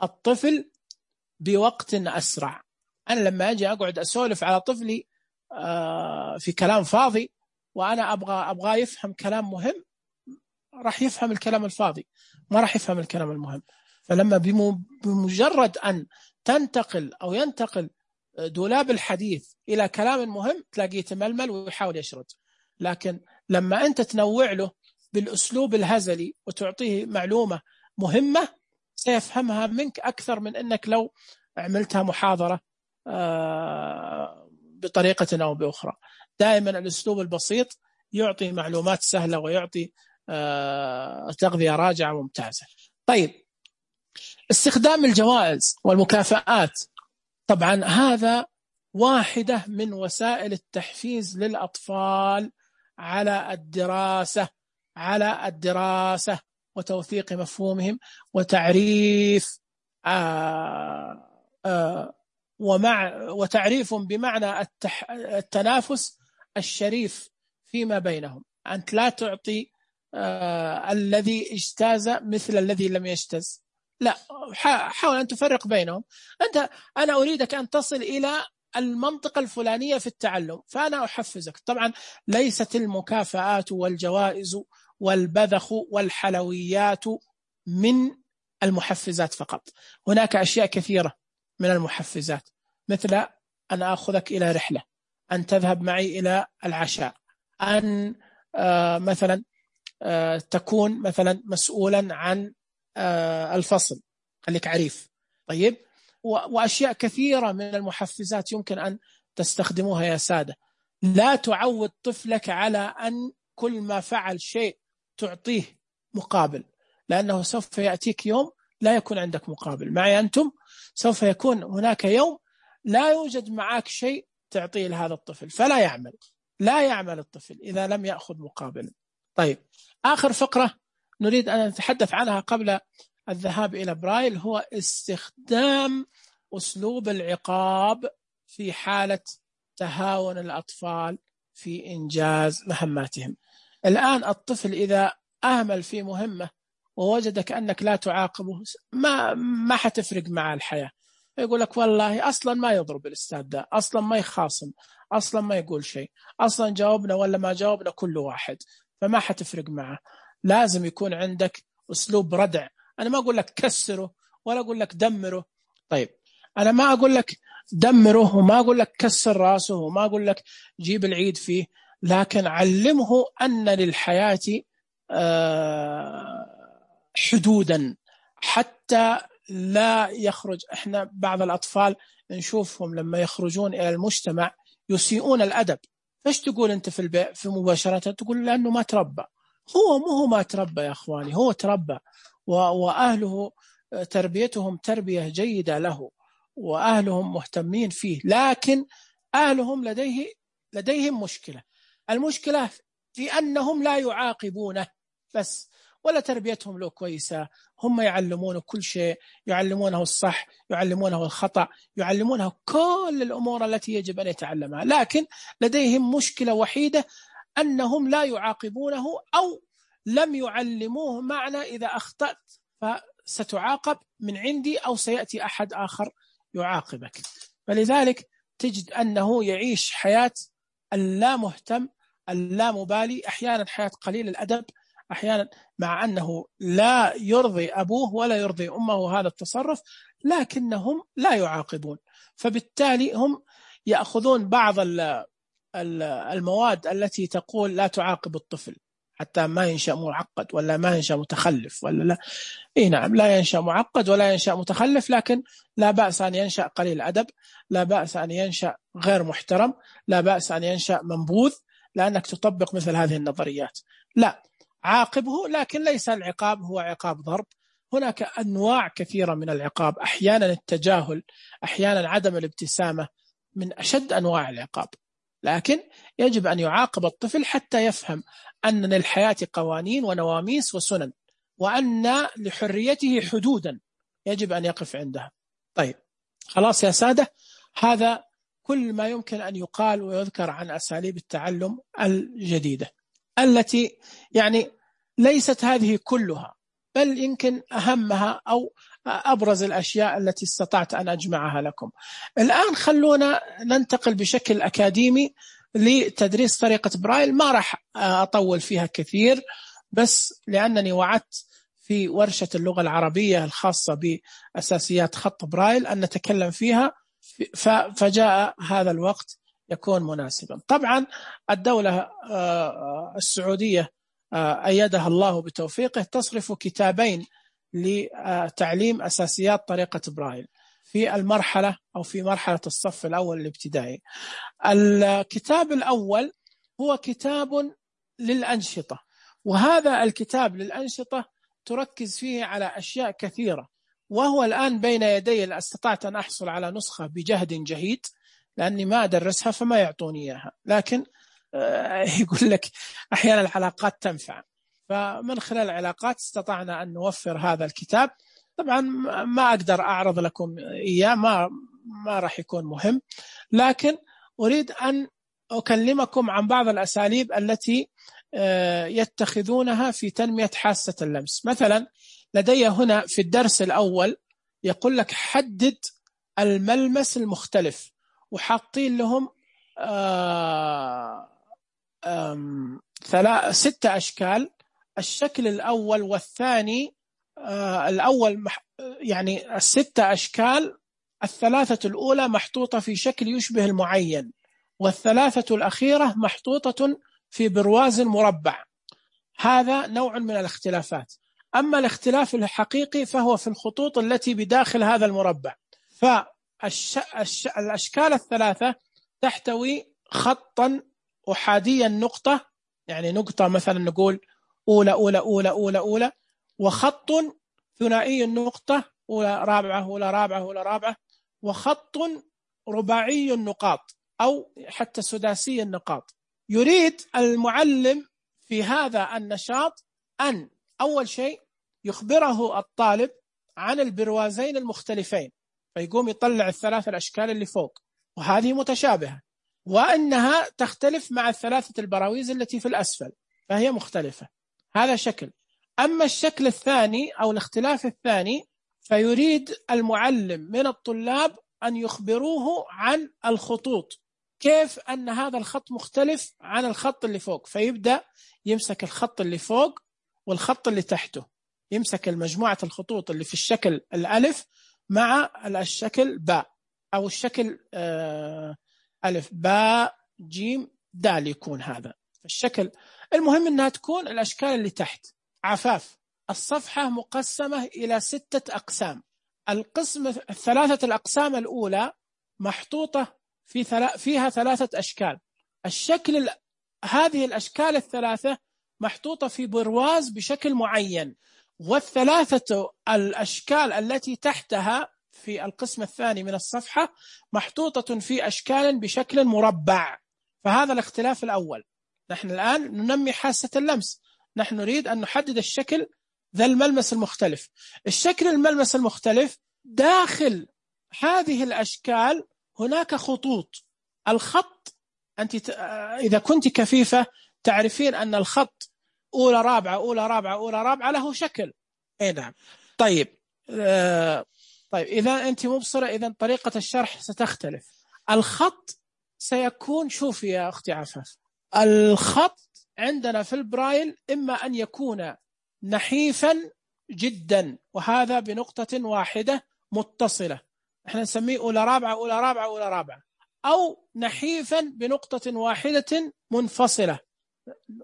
الطفل بوقت أسرع. أنا لما أجي أقعد أسولف على طفلي في كلام فاضي وأنا أبغى يفهم كلام مهم، راح يفهم الكلام الفاضي، ما راح يفهم الكلام المهم. فلما بمجرد أن ينتقل دولاب الحديث إلى كلام مهم تلاقيه يتململ ويحاول يشرد. لكن لما أنت تنوع له بالأسلوب الهزلي وتعطيه معلومة مهمة سيفهمها منك أكثر من أنك لو عملتها محاضرة بطريقة أو بأخرى. دائما الأسلوب البسيط يعطي معلومات سهلة ويعطي تغذية راجعة ممتازة. طيب استخدام الجوائز والمكافآت، طبعا هذا واحدة من وسائل التحفيز للأطفال على الدراسة وتوثيق مفهومهم وتعريف وتعريفهم بمعنى التنافس الشريف فيما بينهم. أنت لا تعطي الذي اجتاز مثل الذي لم يجتز، لا، حاول أن تفرق بينهم. أنا أريدك أن تصل إلى المنطقة الفلانية في التعلم فأنا أحفزك. طبعا ليست المكافآت والجوائز والبذخ والحلويات من المحفزات فقط، هناك أشياء كثيرة من المحفزات، مثل أن أخذك إلى رحلة، أن تذهب معي إلى العشاء، أن مثلا تكون مثلا مسؤولا عن الفصل، خليك عريف. طيب، وأشياء كثيرة من المحفزات يمكن أن تستخدموها يا سادة. لا تعود طفلك على أن كل ما فعل شيء تعطيه مقابل، لأنه سوف يأتيك يوم لا يكون عندك مقابل. معي أنتم سوف يكون هناك يوم لا يوجد معك شيء تعطيه لهذا الطفل، فلا يعمل الطفل إذا لم يأخذ مقابل. طيب، آخر فقرة نريد أن نتحدث عنها قبل الذهاب إلى برايل هو استخدام أسلوب العقاب في حالة تهاون الأطفال في إنجاز مهماتهم. الآن الطفل إذا أهمل في مهمة ووجدك أنك لا تعاقبه ما حتفرق مع الحياة. يقول لك والله أصلا ما يضرب الأستاذ ده، أصلا ما يخاصم، أصلا ما يقول شيء، أصلا جاوبنا ولا ما جاوبنا كل واحد، فما حتفرق معه. لازم يكون عندك أسلوب ردع. أنا ما أقول لك كسره ولا أقول لك دمره. طيب، أنا ما أقول لك دمره وما أقول لك كسر راسه وما أقول لك جيب العيد فيه، لكن علمه أن للحياة حدودا حتى لا يخرج. إحنا بعض الأطفال نشوفهم لما يخرجون إلى المجتمع يسيئون الأدب. فايش تقول أنت في البيت في مباشرة؟ تقول لأنه ما تربى. هو ما تربى يا أخواني، هو تربى وأهله تربيتهم تربية جيدة له وأهلهم مهتمين فيه، لكن أهلهم لديهم مشكلة. المشكلة في أنهم لا يعاقبونه بس، ولا تربيتهم له كويسة. هم يعلمونه كل شيء، يعلمونه الصح، يعلمونه الخطأ، يعلمونه كل الأمور التي يجب أن يتعلمها، لكن لديهم مشكلة وحيدة، أنهم لا يعاقبونه أو لم يعلموه معنى إذا أخطأت فستعاقب من عندي أو سيأتي أحد آخر يعاقبك. فلذلك تجد أنه يعيش حياة اللا مهتم، اللا مبالي، أحيانا حياة قليل الأدب، أحيانا مع أنه لا يرضي أبوه ولا يرضي أمه هذا التصرف، لكنهم لا يعاقبون. فبالتالي هم يأخذون بعض المواد التي تقول لا تعاقب الطفل حتى ما ينشأ معقد ولا ما ينشأ متخلف ولا لا. إيه نعم، لا ينشأ معقد ولا ينشأ متخلف، لكن لا بأس أن ينشأ قليل أدب، لا بأس أن ينشأ غير محترم، لا بأس أن ينشأ منبوذ، لأنك تطبق مثل هذه النظريات. لا، عاقبه، لكن ليس العقاب هو عقاب ضرب. هناك أنواع كثيرة من العقاب، أحيانا التجاهل، أحيانا عدم الابتسامة من أشد أنواع العقاب، لكن يجب أن يعاقب الطفل حتى يفهم أن للحياة قوانين ونواميس وسنن، وأن لحريته حدودا يجب أن يقف عندها. طيب خلاص يا سادة، هذا كل ما يمكن أن يقال ويذكر عن أساليب التعلم الجديدة، التي يعني ليست هذه كلها، بل يمكن أهمها أو أبرز الأشياء التي استطعت أن أجمعها لكم. الآن خلونا ننتقل بشكل أكاديمي لتدريس طريقة برايل. ما راح أطول فيها كثير، بس لأنني وعدت في ورشة اللغة العربية الخاصة بأساسيات خط برايل أن نتكلم فيها، فجاء هذا الوقت يكون مناسبا. طبعا الدولة السعودية أيدها الله بتوفيقه تصرف كتابين لتعليم أساسيات طريقة برايل في المرحلة أو في مرحلة الصف الأول الابتدائي. الكتاب الأول هو كتاب للأنشطة، وهذا الكتاب للأنشطة تركز فيه على أشياء كثيرة، وهو الآن بين يدي. استطعت أن أحصل على نسخة بجهد جهيد لأني ما أدرسها فما يعطوني إياها، لكن يقول لك أحيانا العلاقات تنفع، فمن خلال العلاقات استطعنا أن نوفر هذا الكتاب. طبعا ما أقدر أعرض لكم إياه، ما راح يكون مهم، لكن أريد أن أكلمكم عن بعض الأساليب التي يتخذونها في تنمية حاسة اللمس. مثلا لدي هنا في الدرس الأول يقول لك حدد الملمس المختلف، وحاطين لهم 6 أشكال. الشكل الأول والثاني، الأول يعني 6 أشكال، 3 الأولى محطوطة في شكل يشبه المعين، وال3 الأخيرة محطوطة في برواز مربع. هذا نوع من الاختلافات. أما الاختلاف الحقيقي فهو في الخطوط التي بداخل هذا المربع. فالأشكال ال3 تحتوي خطا أحادي النقطة، يعني نقطة مثلا نقول أولى أولى أولى أولى أولى، وخط ثنائي النقطة أولى رابعة أولى رابعة أولى رابعة، وخط رباعي النقاط أو حتى سداسي النقاط. يريد المعلم في هذا النشاط أن أول شيء يخبره الطالب عن البروازين المختلفين، فيقوم يطلع ال3 الأشكال اللي فوق وهذه متشابهة، وأنها تختلف مع ال3 البراويز التي في الأسفل فهي مختلفة. هذا شكل. أما الشكل الثاني أو الاختلاف الثاني فيريد المعلم من الطلاب أن يخبروه عن الخطوط، كيف أن هذا الخط مختلف عن الخط اللي فوق، فيبدأ يمسك الخط اللي فوق والخط اللي تحته، يمسك المجموعة الخطوط اللي في الشكل الألف مع الشكل باء أو الشكل ألف باء جيم دال، يكون هذا الشكل. المهم أنها تكون الأشكال اللي تحت عفاف. الصفحة مقسمة إلى 6 أقسام. القسم 3 الأقسام الأولى محطوطة فيها 3 أشكال. هذه الأشكال ال3 محطوطة في برواز بشكل معين، وال3 الأشكال التي تحتها في القسم الثاني من الصفحة محطوطة في أشكال بشكل مربع. فهذا الاختلاف الأول. نحن الآن ننمي حاسة اللمس، نحن نريد أن نحدد الشكل ذا الملمس المختلف. الشكل الملمس المختلف داخل هذه الأشكال هناك خطوط. الخط أنت إذا كنت كفيفة تعرفين أن الخط أولى رابعة أولى رابعة أولى رابعة له شكل. نعم. طيب إذا أنت مبصرة إذا طريقة الشرح ستختلف. الخط سيكون، شوفي يا أختي عفاف، الخط عندنا في البرايل إما أن يكون نحيفا جدا وهذا بنقطة واحدة متصلة، احنا نسميه أولى رابعة أولى رابعة أولى رابعة، أو نحيفا بنقطة واحدة منفصلة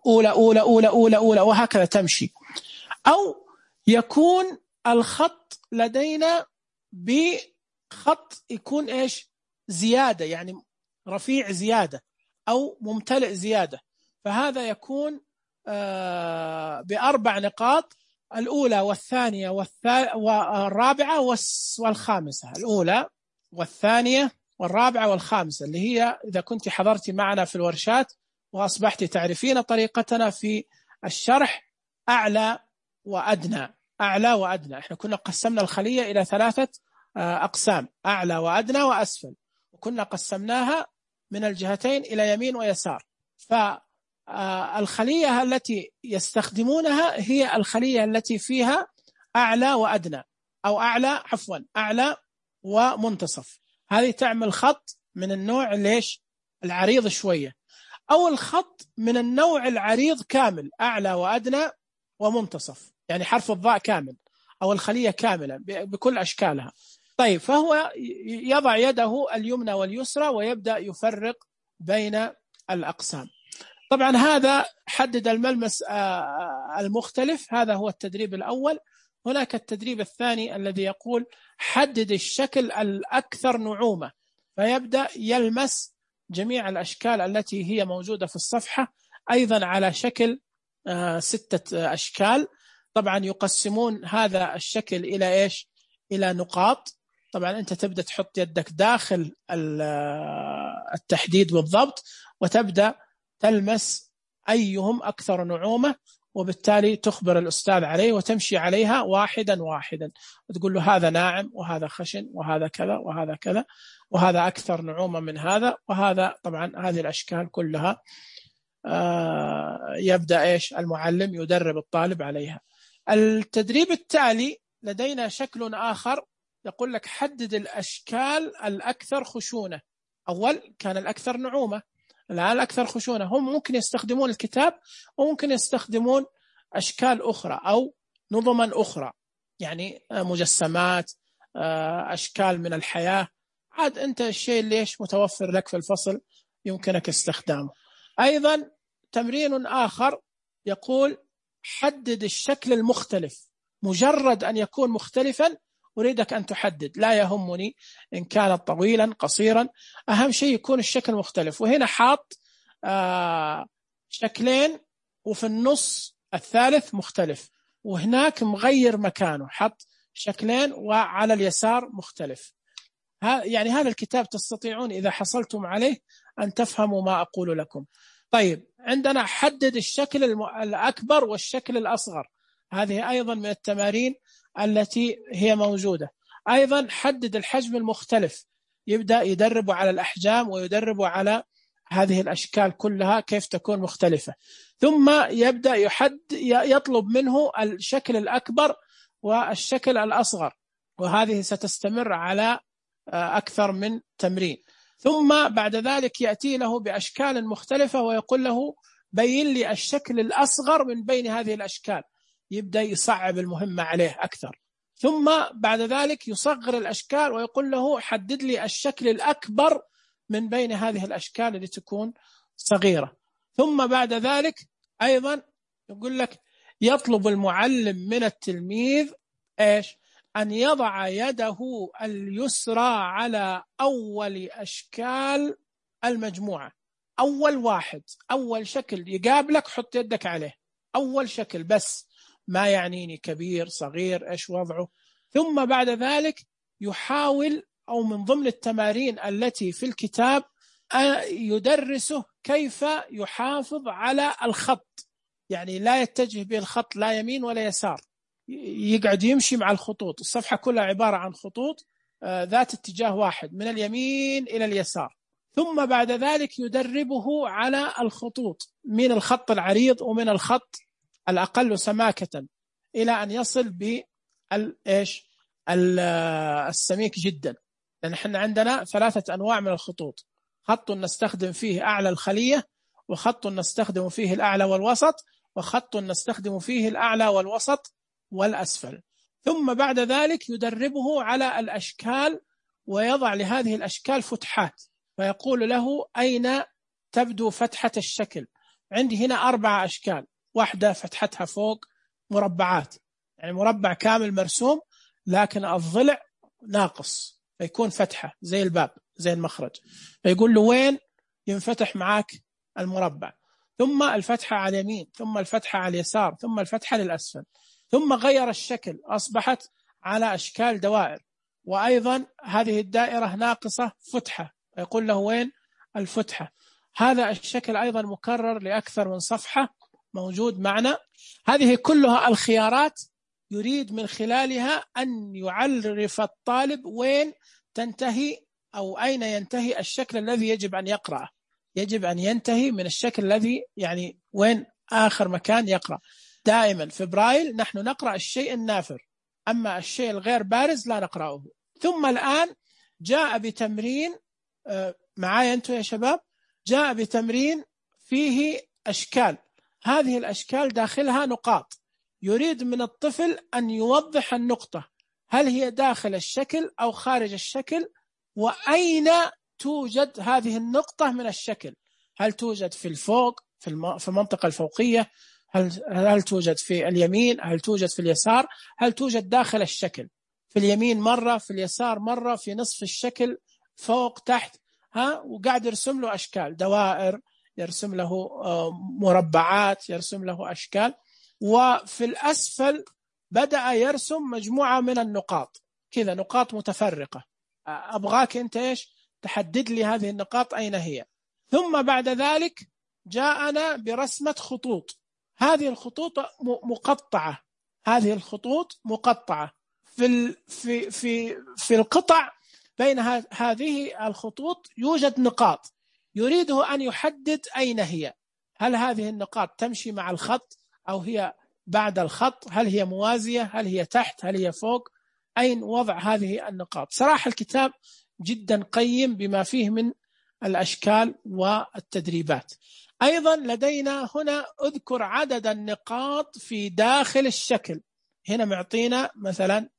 أولى أولى أولى أولى أولى وهكذا تمشي. أو يكون الخط لدينا بخط يكون إيش زيادة، يعني رفيع زيادة أو ممتلئ زيادة، فهذا يكون ب4 نقاط، الأولى والثانية والرابعة والخامسة، الأولى والثانية والرابعة والخامسة، اللي هي إذا كنت حضرت معنا في الورشات وأصبحت تعرفين طريقتنا في الشرح أعلى وأدنى. أعلى وأدنى، إحنا كنا قسمنا الخلية إلى 3 أقسام، أعلى وأدنى وأسفل، وكنا قسمناها من الجهتين إلى يمين ويسار. فالخلية التي يستخدمونها هي الخلية التي فيها أعلى وأدنى، أو أعلى ومنتصف. هذه تعمل خط من النوع ليش العريض شوية، أو الخط من النوع العريض كامل، أعلى وأدنى ومنتصف، يعني حرف الضاء كامل أو الخلية كاملة بكل أشكالها. طيب، فهو يضع يده اليمنى واليسرى ويبدأ يفرق بين الأقسام. طبعا هذا حدد الملمس المختلف، هذا هو التدريب الأول. هناك التدريب الثاني الذي يقول حدد الشكل الأكثر نعومة، فيبدأ يلمس جميع الأشكال التي هي موجودة في الصفحة، أيضا على شكل 6 أشكال. طبعا يقسمون هذا الشكل إلى إيش؟ إلى نقاط. طبعا أنت تبدأ تحط يدك داخل التحديد بالضبط، وتبدأ تلمس أيهم أكثر نعومة، وبالتالي تخبر الأستاذ عليه وتمشي عليها واحدا واحدا، وتقول له هذا ناعم وهذا خشن وهذا كذا وهذا كذا وهذا أكثر نعومة من هذا وهذا. طبعا هذه الأشكال كلها يبدأ إيش المعلم يدرب الطالب عليها. التدريب التالي لدينا شكل آخر يقول لك حدد الأشكال الأكثر خشونة. أول كان الأكثر نعومة، الآن الأكثر خشونة. هم ممكن يستخدمون الكتاب وممكن يستخدمون أشكال أخرى أو نظما أخرى، يعني مجسمات، أشكال من الحياة، عاد أنت الشيء ليش متوفر لك في الفصل يمكنك استخدامه. أيضا تمرين آخر يقول حدد الشكل المختلف، مجرد أن يكون مختلفا أريدك أن تحدد، لا يهمني إن كان طويلا قصيرا، أهم شيء يكون الشكل مختلف. وهنا حاط شكلين وفي النص الثالث مختلف، وهناك مغير مكانه حط شكلين وعلى اليسار مختلف. يعني هذا الكتاب تستطيعون إذا حصلتم عليه أن تفهموا ما أقول لكم. طيب، عندنا حدد الشكل الأكبر والشكل الأصغر، هذه أيضا من التمارين التي هي موجودة. أيضا حدد الحجم المختلف، يبدأ يدرب على الأحجام ويدرب على هذه الأشكال كلها كيف تكون مختلفة، ثم يبدأ يطلب منه الشكل الأكبر والشكل الأصغر، وهذه ستستمر على أكثر من تمرين. ثم بعد ذلك يأتي له بأشكال مختلفة ويقول له بين لي الشكل الأصغر من بين هذه الأشكال، يبدأ يصعب المهمة عليه أكثر. ثم بعد ذلك يصغر الأشكال ويقول له حدد لي الشكل الأكبر من بين هذه الأشكال اللي تكون صغيرة. ثم بعد ذلك أيضا يقول لك يطلب المعلم من التلميذ إيش؟ أن يضع يده اليسرى على أول أشكال المجموعة، أول واحد، أول شكل يقابلك حط يدك عليه، أول شكل بس، ما يعنيني كبير صغير إيش وضعه. ثم بعد ذلك يحاول، أو من ضمن التمارين التي في الكتاب يدرسه كيف يحافظ على الخط، يعني لا يتجه به الخط لا يمين ولا يسار، يقعد يمشي مع الخطوط. الصفحة كلها عبارة عن خطوط ذات اتجاه واحد من اليمين إلى اليسار. ثم بعد ذلك يدربه على الخطوط من الخط العريض ومن الخط الأقل سماكة إلى أن يصل السميك جدا. لأن احنا عندنا 3 أنواع من الخطوط: خط نستخدم فيه أعلى الخلية، وخط نستخدم فيه الأعلى والوسط، وخط نستخدم فيه الأعلى والوسط والأسفل. ثم بعد ذلك يدربه على الأشكال ويضع لهذه الأشكال فتحات، فيقول له أين تبدو فتحة الشكل؟ عندي هنا 4 أشكال، واحدة فتحتها فوق مربعات، يعني مربع كامل مرسوم لكن الضلع ناقص، فيكون فتحة زي الباب زي المخرج، فيقول له وين ينفتح معاك المربع؟ ثم الفتحة على اليمين، ثم الفتحة على اليسار، ثم الفتحة للأسفل. ثم غير الشكل، أصبحت على أشكال دوائر، وأيضا هذه الدائرة ناقصة فتحة، يقول له وين الفتحة؟ هذا الشكل أيضا مكرر لأكثر من صفحة موجود معنا. هذه كلها الخيارات يريد من خلالها أن يعرف الطالب وين تنتهي أو أين ينتهي الشكل الذي يجب أن يقرأه. يجب أن ينتهي من الشكل الذي يعني وين آخر مكان يقرأ. دائما في برايل نحن نقرأ الشيء النافر، أما الشيء الغير بارز لا نقرأه. ثم الآن جاء بتمرين معايا أنتم يا شباب، جاء بتمرين فيه أشكال، هذه الأشكال داخلها نقاط، يريد من الطفل أن يوضح النقطة هل هي داخل الشكل أو خارج الشكل، وأين توجد هذه النقطة من الشكل، هل توجد في الفوق في المنطقة الفوقية، هل توجد في اليمين، هل توجد في اليسار، هل توجد داخل الشكل في اليمين مرة، في اليسار مرة، في نصف الشكل، فوق تحت. وقاعد يرسم له أشكال، دوائر، يرسم له مربعات، يرسم له أشكال. وفي الأسفل بدأ يرسم مجموعة من النقاط كذا، نقاط متفرقة، أبغاك أنت إيش تحدد لي هذه النقاط أين هي. ثم بعد ذلك جاءنا برسمة خطوط، هذه الخطوط مقطعة، هذه الخطوط مقطعة في القطع بين هذه الخطوط يوجد نقاط، يريده أن يحدد أين هي، هل هذه النقاط تمشي مع الخط أو هي بعد الخط، هل هي موازية، هل هي تحت، هل هي فوق، أين وضع هذه النقاط. صراحة الكتاب جدا قيم بما فيه من الأشكال والتدريبات. أيضا لدينا هنا أذكر عدد النقاط في داخل الشكل، هنا معطينا مثلا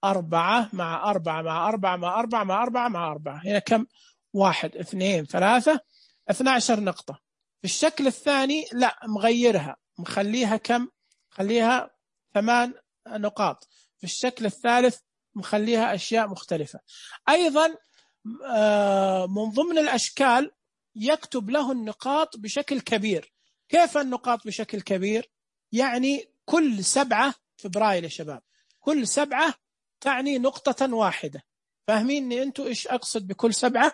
4 مع 4 مع 4 مع 4 مع 4 مع 4، هنا كم؟ 1 2 3 12 نقطة. في الشكل الثاني لا، مغيرها، مخليها كم؟ مخليها 8 نقاط. في الشكل الثالث مخليها أشياء مختلفة. أيضا من ضمن الأشكال يكتب له النقاط بشكل كبير. كيف النقاط بشكل كبير؟ يعني كل 7 في برايل يا شباب، كل 7 تعني نقطة واحدة. فاهميني أنتوا إيش أقصد بكل 7؟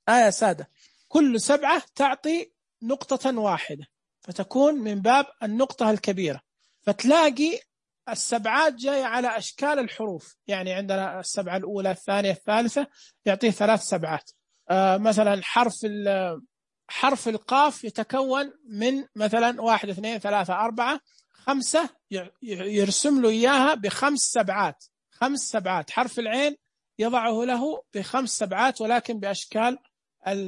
يا سادة، كل 7 تعطي نقطة واحدة، فتكون من باب النقطة الكبيرة. فتلاقي السبعات جاية على أشكال الحروف، يعني عندنا السبعة الأولى الثانية الثالثة يعطيه 3 سبعات. مثلا حرف القاف يتكون من مثلا 1 2 3 4 5، يرسم له إياها ب5 سبعات، 5 سبعات. حرف العين يضعه له ب5 سبعات ولكن بأشكال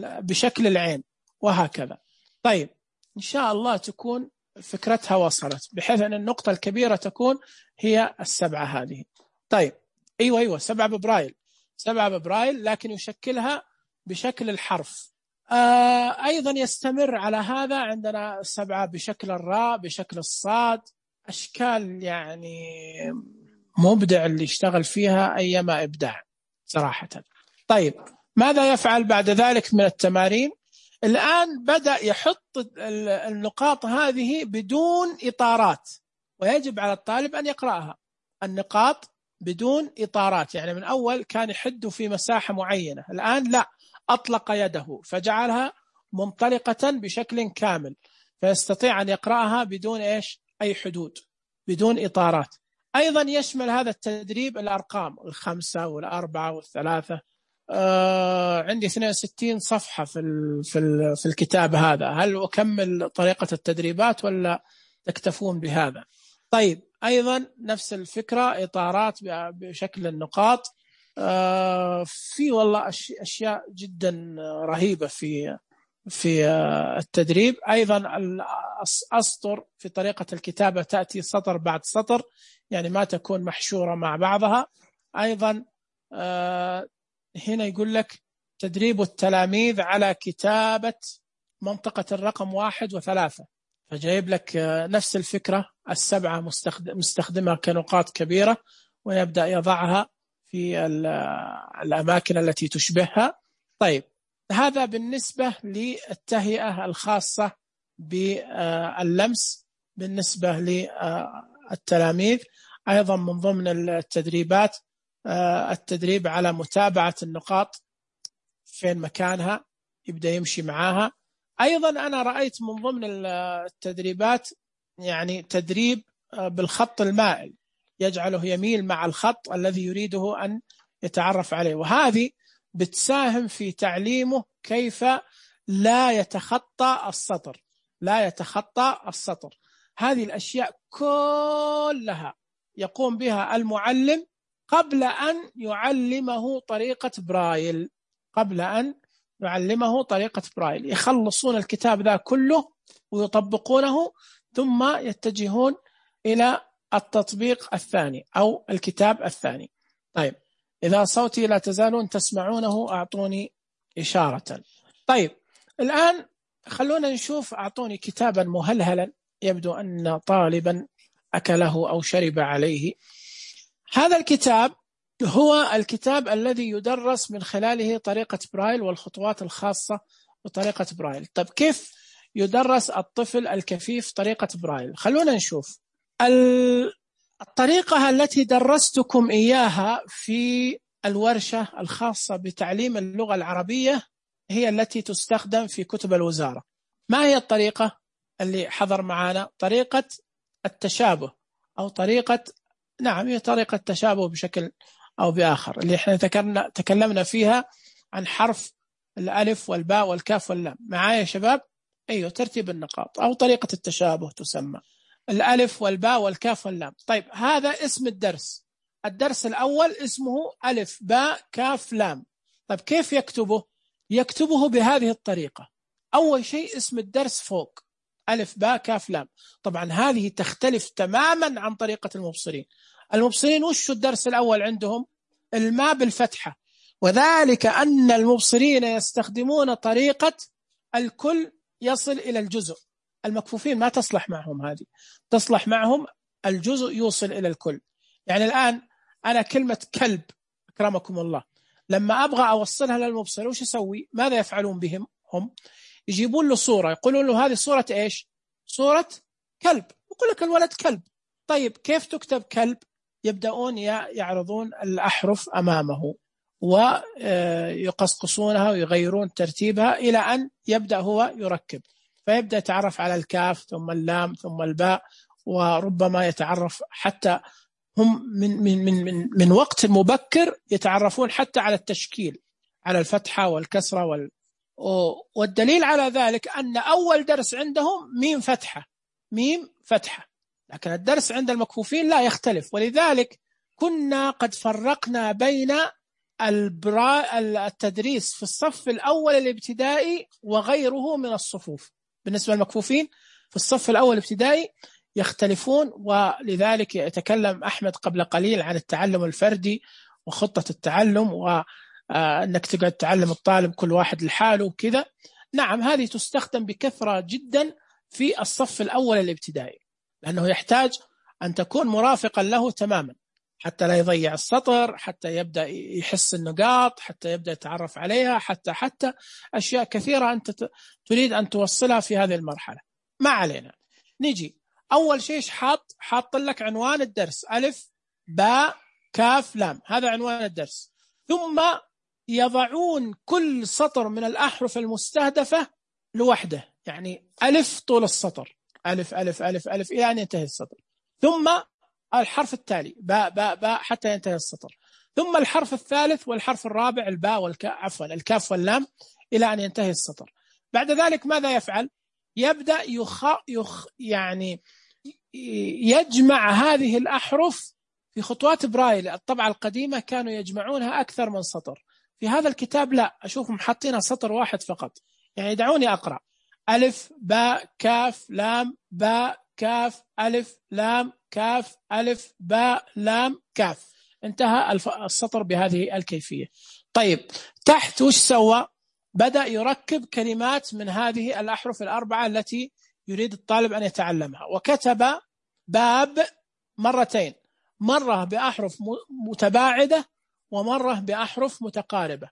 بشكل العين، وهكذا. طيب إن شاء الله تكون فكرتها وصلت، بحيث أن النقطة الكبيرة تكون هي 7 هذه. طيب أيوة 7 ببرايل، 7 ببرايل لكن يشكلها بشكل الحرف. أيضا يستمر على هذا، عندنا 7 بشكل الراء، بشكل الصاد، أشكال يعني مبدع اللي يشتغل فيها أيما إبداع صراحة. طيب ماذا يفعل بعد ذلك من التمارين؟ الآن بدأ يحط النقاط هذه بدون إطارات، ويجب على الطالب أن يقرأها. النقاط بدون إطارات، يعني من أول كان يحد في مساحة معينة، الآن لا، أطلق يده فجعلها منطلقة بشكل كامل. فيستطيع أن يقرأها بدون أي حدود، بدون إطارات. أيضا يشمل هذا التدريب الأرقام 5 و4 و3. عندي 62 صفحة في الكتاب هذا، هل أكمل طريقة التدريبات ولا تكتفون بهذا؟ طيب أيضا نفس الفكرة، إطارات بشكل النقاط. في والله أشياء جدا رهيبة في التدريب. أيضا الأسطر في طريقة الكتابة تأتي سطر بعد سطر، يعني ما تكون محشورة مع بعضها. أيضا هنا يقول لك تدريب التلاميذ على كتابة منطقة الرقم 1 و3، فجايب لك نفس الفكرة، 7 مستخدمة كنقاط كبيرة، ويبدأ يضعها في الأماكن التي تشبهها. طيب هذا بالنسبة للتهيئة الخاصة باللمس بالنسبة للتلاميذ. أيضا من ضمن التدريبات التدريب على متابعة النقاط فين مكانها، يبدأ يمشي معاها. أيضا أنا رأيت من ضمن التدريبات يعني تدريب بالخط المائل، يجعله يميل مع الخط الذي يريده أن يتعرف عليه، وهذه بتساهم في تعليمه كيف لا يتخطى السطر، لا يتخطى السطر. هذه الأشياء كلها يقوم بها المعلم قبل أن يعلمه طريقة برايل، قبل أن يعلمه طريقة برايل. يخلصون الكتاب ذا كله ويطبقونه، ثم يتجهون إلى التطبيق الثاني أو الكتاب الثاني. طيب إذا صوتي لا تزالون تسمعونه أعطوني إشارة. طيب الآن خلونا نشوف، أعطوني كتابا مهلهلا يبدو أن طالبا أكله أو شرب عليه. هذا الكتاب هو الكتاب الذي يدرس من خلاله طريقة برايل والخطوات الخاصة بطريقة برايل. طيب كيف يدرس الطفل الكفيف طريقة برايل؟ خلونا نشوف. الطريقة التي درستكم إياها في الورشة الخاصة بتعليم اللغة العربية هي التي تستخدم في كتب الوزارة. ما هي الطريقة اللي حضر معنا؟ طريقة التشابه أو طريقة، نعم هي طريقة تشابه بشكل أو بآخر، اللي احنا تكلمنا فيها عن حرف الألف والباء والكاف واللام. معايا يا شباب؟ أيوه، ترتيب النقاط أو طريقة التشابه تسمى الألف والباء والكاف واللام. طيب هذا اسم الدرس. الدرس الأول اسمه ألف باء كاف لام. طيب كيف يكتبه؟ يكتبه بهذه الطريقة. أول شيء اسم الدرس فوق ألف باء كاف لام. طبعا هذه تختلف تماما عن طريقة المبصرين. المبصرين وش الدرس الأول عندهم؟ الماء بالفتحة، وذلك أن المبصرين يستخدمون طريقة الكل يصل إلى الجزء. المكفوفين ما تصلح معهم هذه، تصلح معهم الجزء يوصل إلى الكل. يعني الآن أنا كلمة كلب أكرمكم الله لما أبغى أوصلها للمبصر وش أسوي؟ ماذا يفعلون بهم هم؟ يجيبون له صورة، يقولون له هذه صورة إيش؟ صورة كلب. يقول لك الولد كلب. طيب كيف تكتب كلب؟ يبدأون يعرضون الأحرف أمامه ويقصقصونها ويغيرون ترتيبها إلى أن يبدأ هو يركب، فيبدأ يتعرف على الكاف ثم اللام ثم الباء، وربما يتعرف حتى هم من وقت مبكر يتعرفون حتى على التشكيل، على الفتحة والكسرة والدليل على ذلك أن أول درس عندهم ميم فتحة، ميم فتحة، لكن الدرس عند المكفوفين لا يختلف. ولذلك كنا قد فرقنا بين التدريس في الصف الأول الابتدائي وغيره من الصفوف. بالنسبة للمكفوفين في الصف الأول الابتدائي يختلفون، ولذلك يتكلم أحمد قبل قليل عن التعلم الفردي وخطة التعلم، وأنك تقعد تعلم الطالب كل واحد لحاله وكذا. نعم هذه تستخدم بكثرة جدا في الصف الأول الابتدائي، لأنه يحتاج أن تكون مرافقا له تماما حتى لا يضيع السطر، حتى يبدأ يحس النقاط، حتى يبدأ يتعرف عليها، حتى أشياء كثيرة أنت تريد أن توصلها في هذه المرحلة. ما علينا. نجي أول شيء حاط لك عنوان الدرس ألف باء كاف لام، هذا عنوان الدرس. ثم يضعون كل سطر من الأحرف المستهدفة لوحده، يعني ألف طول السطر، ألف ألف ألف ألف إلى أن ينتهي السطر، ثم الحرف التالي باء باء باء حتى ينتهي السطر، ثم الحرف الثالث والحرف الرابع الباء عفوا الكاف واللام إلى أن ينتهي السطر. بعد ذلك ماذا يفعل؟ يبدأ يعني يجمع هذه الأحرف في خطوات برايل. الطبعة القديمة كانوا يجمعونها أكثر من سطر، في هذا الكتاب لا، أشوفهم حاطينها سطر واحد فقط. يعني دعوني أقرأ: ألف باء كاف لام باء كاف ألف لام كاف ألف باء لام كاف، انتهى السطر بهذه الكيفية. طيب تحت وش سوى؟ بدأ يركب كلمات من هذه الأحرف الأربعة التي يريد الطالب أن يتعلمها، وكتب باب مرتين، مرة بأحرف متباعدة ومرة بأحرف متقاربة.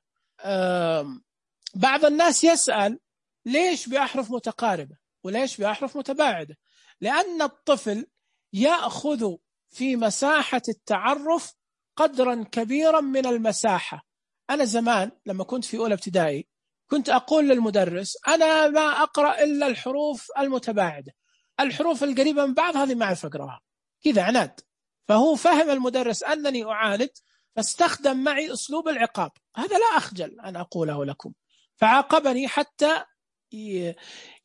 بعض الناس يسأل ليش بأحرف متقاربة وليش بأحرف متباعدة؟ لأن الطفل يأخذ في مساحة التعرف قدرا كبيرا من المساحة. أنا زمان لما كنت في أولى ابتدائي كنت أقول للمدرس أنا ما أقرأ إلا الحروف المتباعدة، الحروف القريبة من بعض هذه ما أعرف أقرأها، كذا عناد. فهو فهم المدرس أنني أعاند، فاستخدم معي أسلوب العقاب، هذا لا أخجل أن أقوله لكم، فعاقبني حتى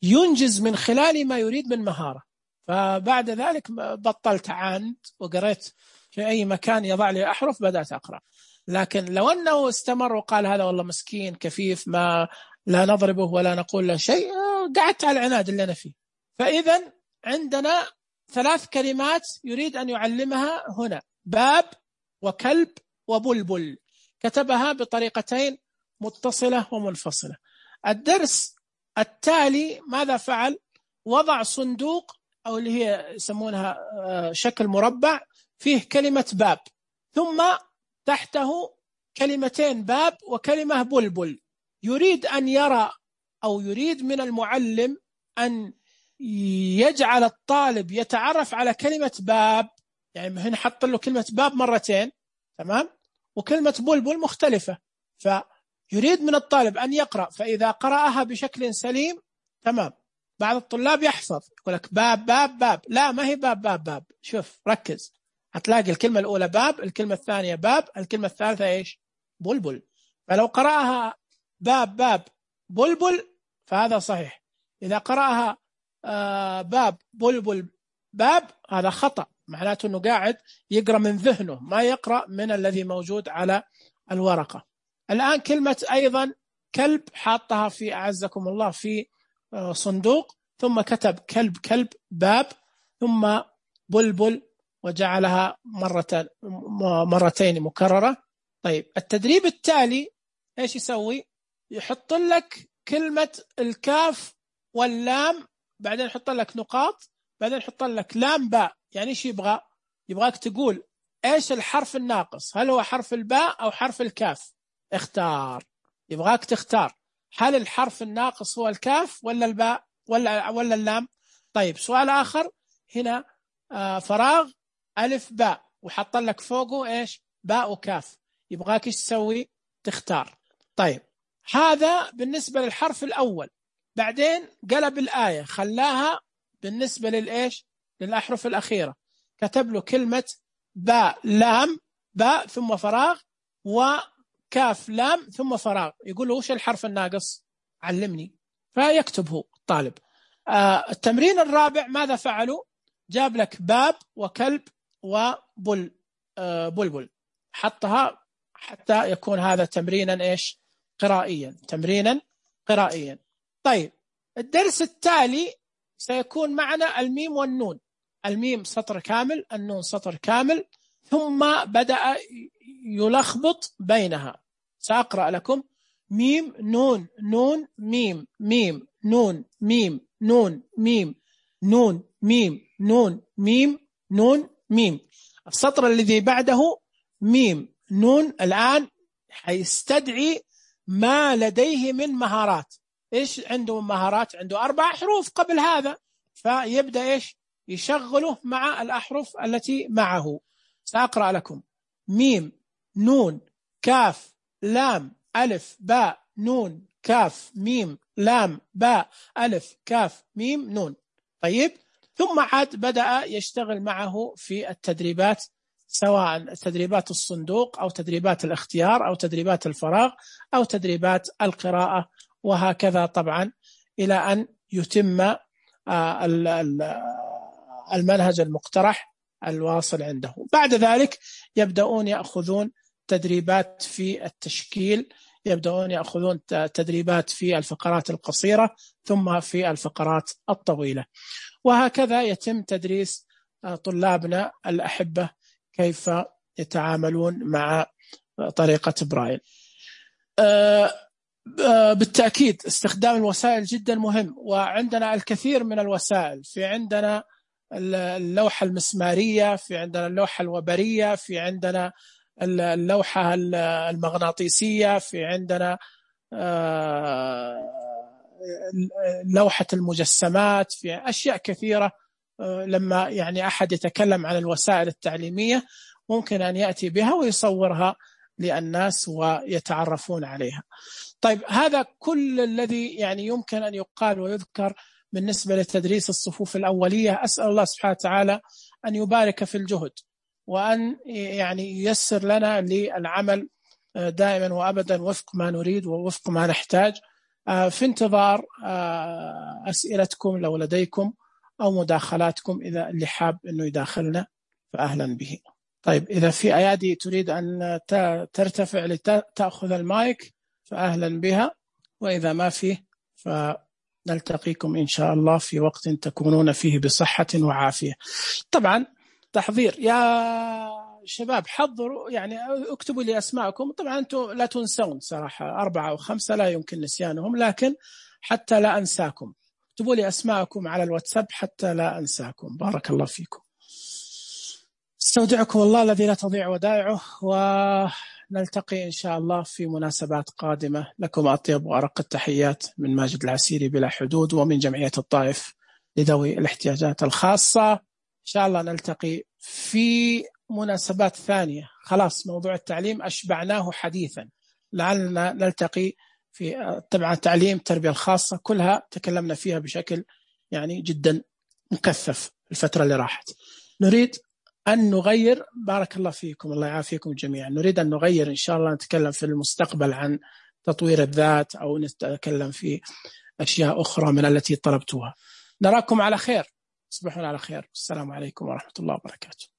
ينجز من خلال ما يريد من مهارة. فبعد ذلك بطلت عاند وقريت في أي مكان يضع لي أحرف بدأت أقرأ. لكن لو أنه استمر وقال هذا والله مسكين كفيف ما لا نضربه ولا نقول له شيء، قعدت على العناد اللي أنا فيه. فإذا عندنا 3 كلمات يريد أن يعلمها هنا: باب وكلب وبلبل، كتبها بطريقتين متصلة ومنفصلة. الدرس التالي ماذا فعل؟ وضع صندوق أو اللي هي يسمونها شكل مربع فيه كلمة باب، ثم تحته كلمتين باب وكلمة بلبل. يريد أن يرى أو يريد من المعلم أن يجعل الطالب يتعرف على كلمة باب، يعني هنا حط له كلمة باب مرتين، تمام، وكلمة بلبل مختلفة، فيريد من الطالب أن يقرأ، فإذا قرأها بشكل سليم تمام. بعض الطلاب يحفظ يقول لك باب باب باب، لا ما هي باب باب باب، شوف ركز، هتلاقي الكلمة الأولى باب، الكلمة الثانية باب، الكلمة الثالثة إيش؟ بلبل. فلو قرأها باب باب بلبل فهذا صحيح، إذا قرأها باب بلبل باب هذا خطأ، معناته أنه قاعد يقرأ من ذهنه ما يقرأ من الذي موجود على الورقة. الآن كلمة أيضا كلب حاطها في أعزكم الله في صندوق، ثم كتب كلب كلب باب، ثم بلبل وجعلها مرتين مكررة. طيب التدريب التالي إيش يسوي؟ يحط لك كلمة الكاف واللام، بعدين يحط لك نقاط، بعدين يحط لك لام باء. يعني إيش يبغى؟ يبغاك تقول إيش الحرف الناقص، هل هو حرف الباء أو حرف الكاف؟ اختار، يبغاك تختار هل الحرف الناقص هو الكاف ولا الباء ولا اللام. طيب سؤال آخر هنا، فراغ ألف باء وحط لك فوقه إيش؟ باء وكاف، يبغاك إيش تسوي؟ تختار. طيب هذا بالنسبة للحرف الأول. بعدين قلب الآية خلاها بالنسبة للإيش؟ للأحرف الأخيرة، كتب له كلمة باء لام باء ثم فراغ وكاف لام ثم فراغ، يقول له وش الحرف الناقص؟ علمني، فيكتبه الطالب. التمرين الرابع ماذا فعلوا؟ جاب لك باب وكلب وبلبل، حطها حتى يكون هذا تمرينا إيش؟ قرائيا، تمرينا قرائيا. طيب الدرس التالي سيكون معنا الميم والنون، الميم سطر كامل، النون سطر كامل، ثم بدأ يلخبط بينها. سأقرأ لكم: ميم نون نون ميم ميم نون ميم نون ميم نون ميم نون ميم نون ميم. السطر الذي بعده ميم نون، الآن حيستدعي ما لديه من مهارات. إيش عنده من مهارات؟ عنده 4 حروف قبل هذا، فيبدأ إيش؟ يشغله مع الأحرف التي معه. سأقرأ لكم: ميم نون كاف لام ألف باء نون كاف ميم لام باء ألف كاف ميم نون. طيب، ثم عاد بدأ يشتغل معه في التدريبات، سواء تدريبات الصندوق أو تدريبات الاختيار أو تدريبات الفراغ أو تدريبات القراءة، وهكذا طبعا إلى أن يتم المنهج المقترح الواصل عنده. بعد ذلك يبدأون يأخذون تدريبات في التشكيل، يبدأون يأخذون تدريبات في الفقرات القصيرة ثم في الفقرات الطويلة، وهكذا يتم تدريس طلابنا الأحبة كيف يتعاملون مع طريقة برايل. بالتأكيد استخدام الوسائل جدا مهم، وعندنا الكثير من الوسائل. في عندنا اللوحة المسمارية، في عندنا اللوحة الوبرية، في عندنا اللوحة المغناطيسية، في عندنا لوحة المجسمات، في أشياء كثيرة. لما يعني أحد يتكلم عن الوسائل التعليمية ممكن أن يأتي بها ويصورها للناس ويتعرفون عليها. طيب، هذا كل الذي يعني يمكن أن يقال ويذكر بالنسبة لتدريس الصفوف الأولية. أسأل الله سبحانه وتعالى أن يبارك في الجهد، وأن يعني ييسر لنا للعمل دائما وأبدا وفق ما نريد ووفق ما نحتاج. في انتظار أسئلتكم لو لديكم أو مداخلاتكم، إذا اللي حاب أنه يداخلنا فأهلا به. طيب، إذا في أيادي تريد أن ترتفع لتأخذ المايك فأهلا بها، وإذا ما فيه فنلتقيكم إن شاء الله في وقت تكونون فيه بصحة وعافية. طبعا تحضير يا شباب، حضروا يعني اكتبوا لي أسماءكم. طبعا أنتم لا تنسون صراحة، 4 أو 5 لا يمكن نسيانهم، لكن حتى لا أنساكم اكتبوا لي أسماءكم على الواتساب حتى لا أنساكم. بارك الله فيكم. استودعكم الله الذي لا تضيع ودائعه، ونلتقي إن شاء الله في مناسبات قادمة. لكم أطيب وأرق التحيات من ماجد العسيري بلا حدود، ومن جمعية الطائف لذوي الاحتياجات الخاصة. إن شاء الله نلتقي في مناسبات ثانية. خلاص موضوع التعليم أشبعناه حديثا، لعلنا نلتقي في طبعا تعليم التربية الخاصة، كلها تكلمنا فيها بشكل يعني جدا مكثف الفترة اللي راحت. نريد أن نغير، بارك الله فيكم الله يعافيكم جميعا، نريد أن نغير إن شاء الله، نتكلم في المستقبل عن تطوير الذات، أو نتكلم في أشياء أخرى من التي طلبتوها. نراكم على خير، تصبحون على خير. السلام عليكم ورحمة الله وبركاته.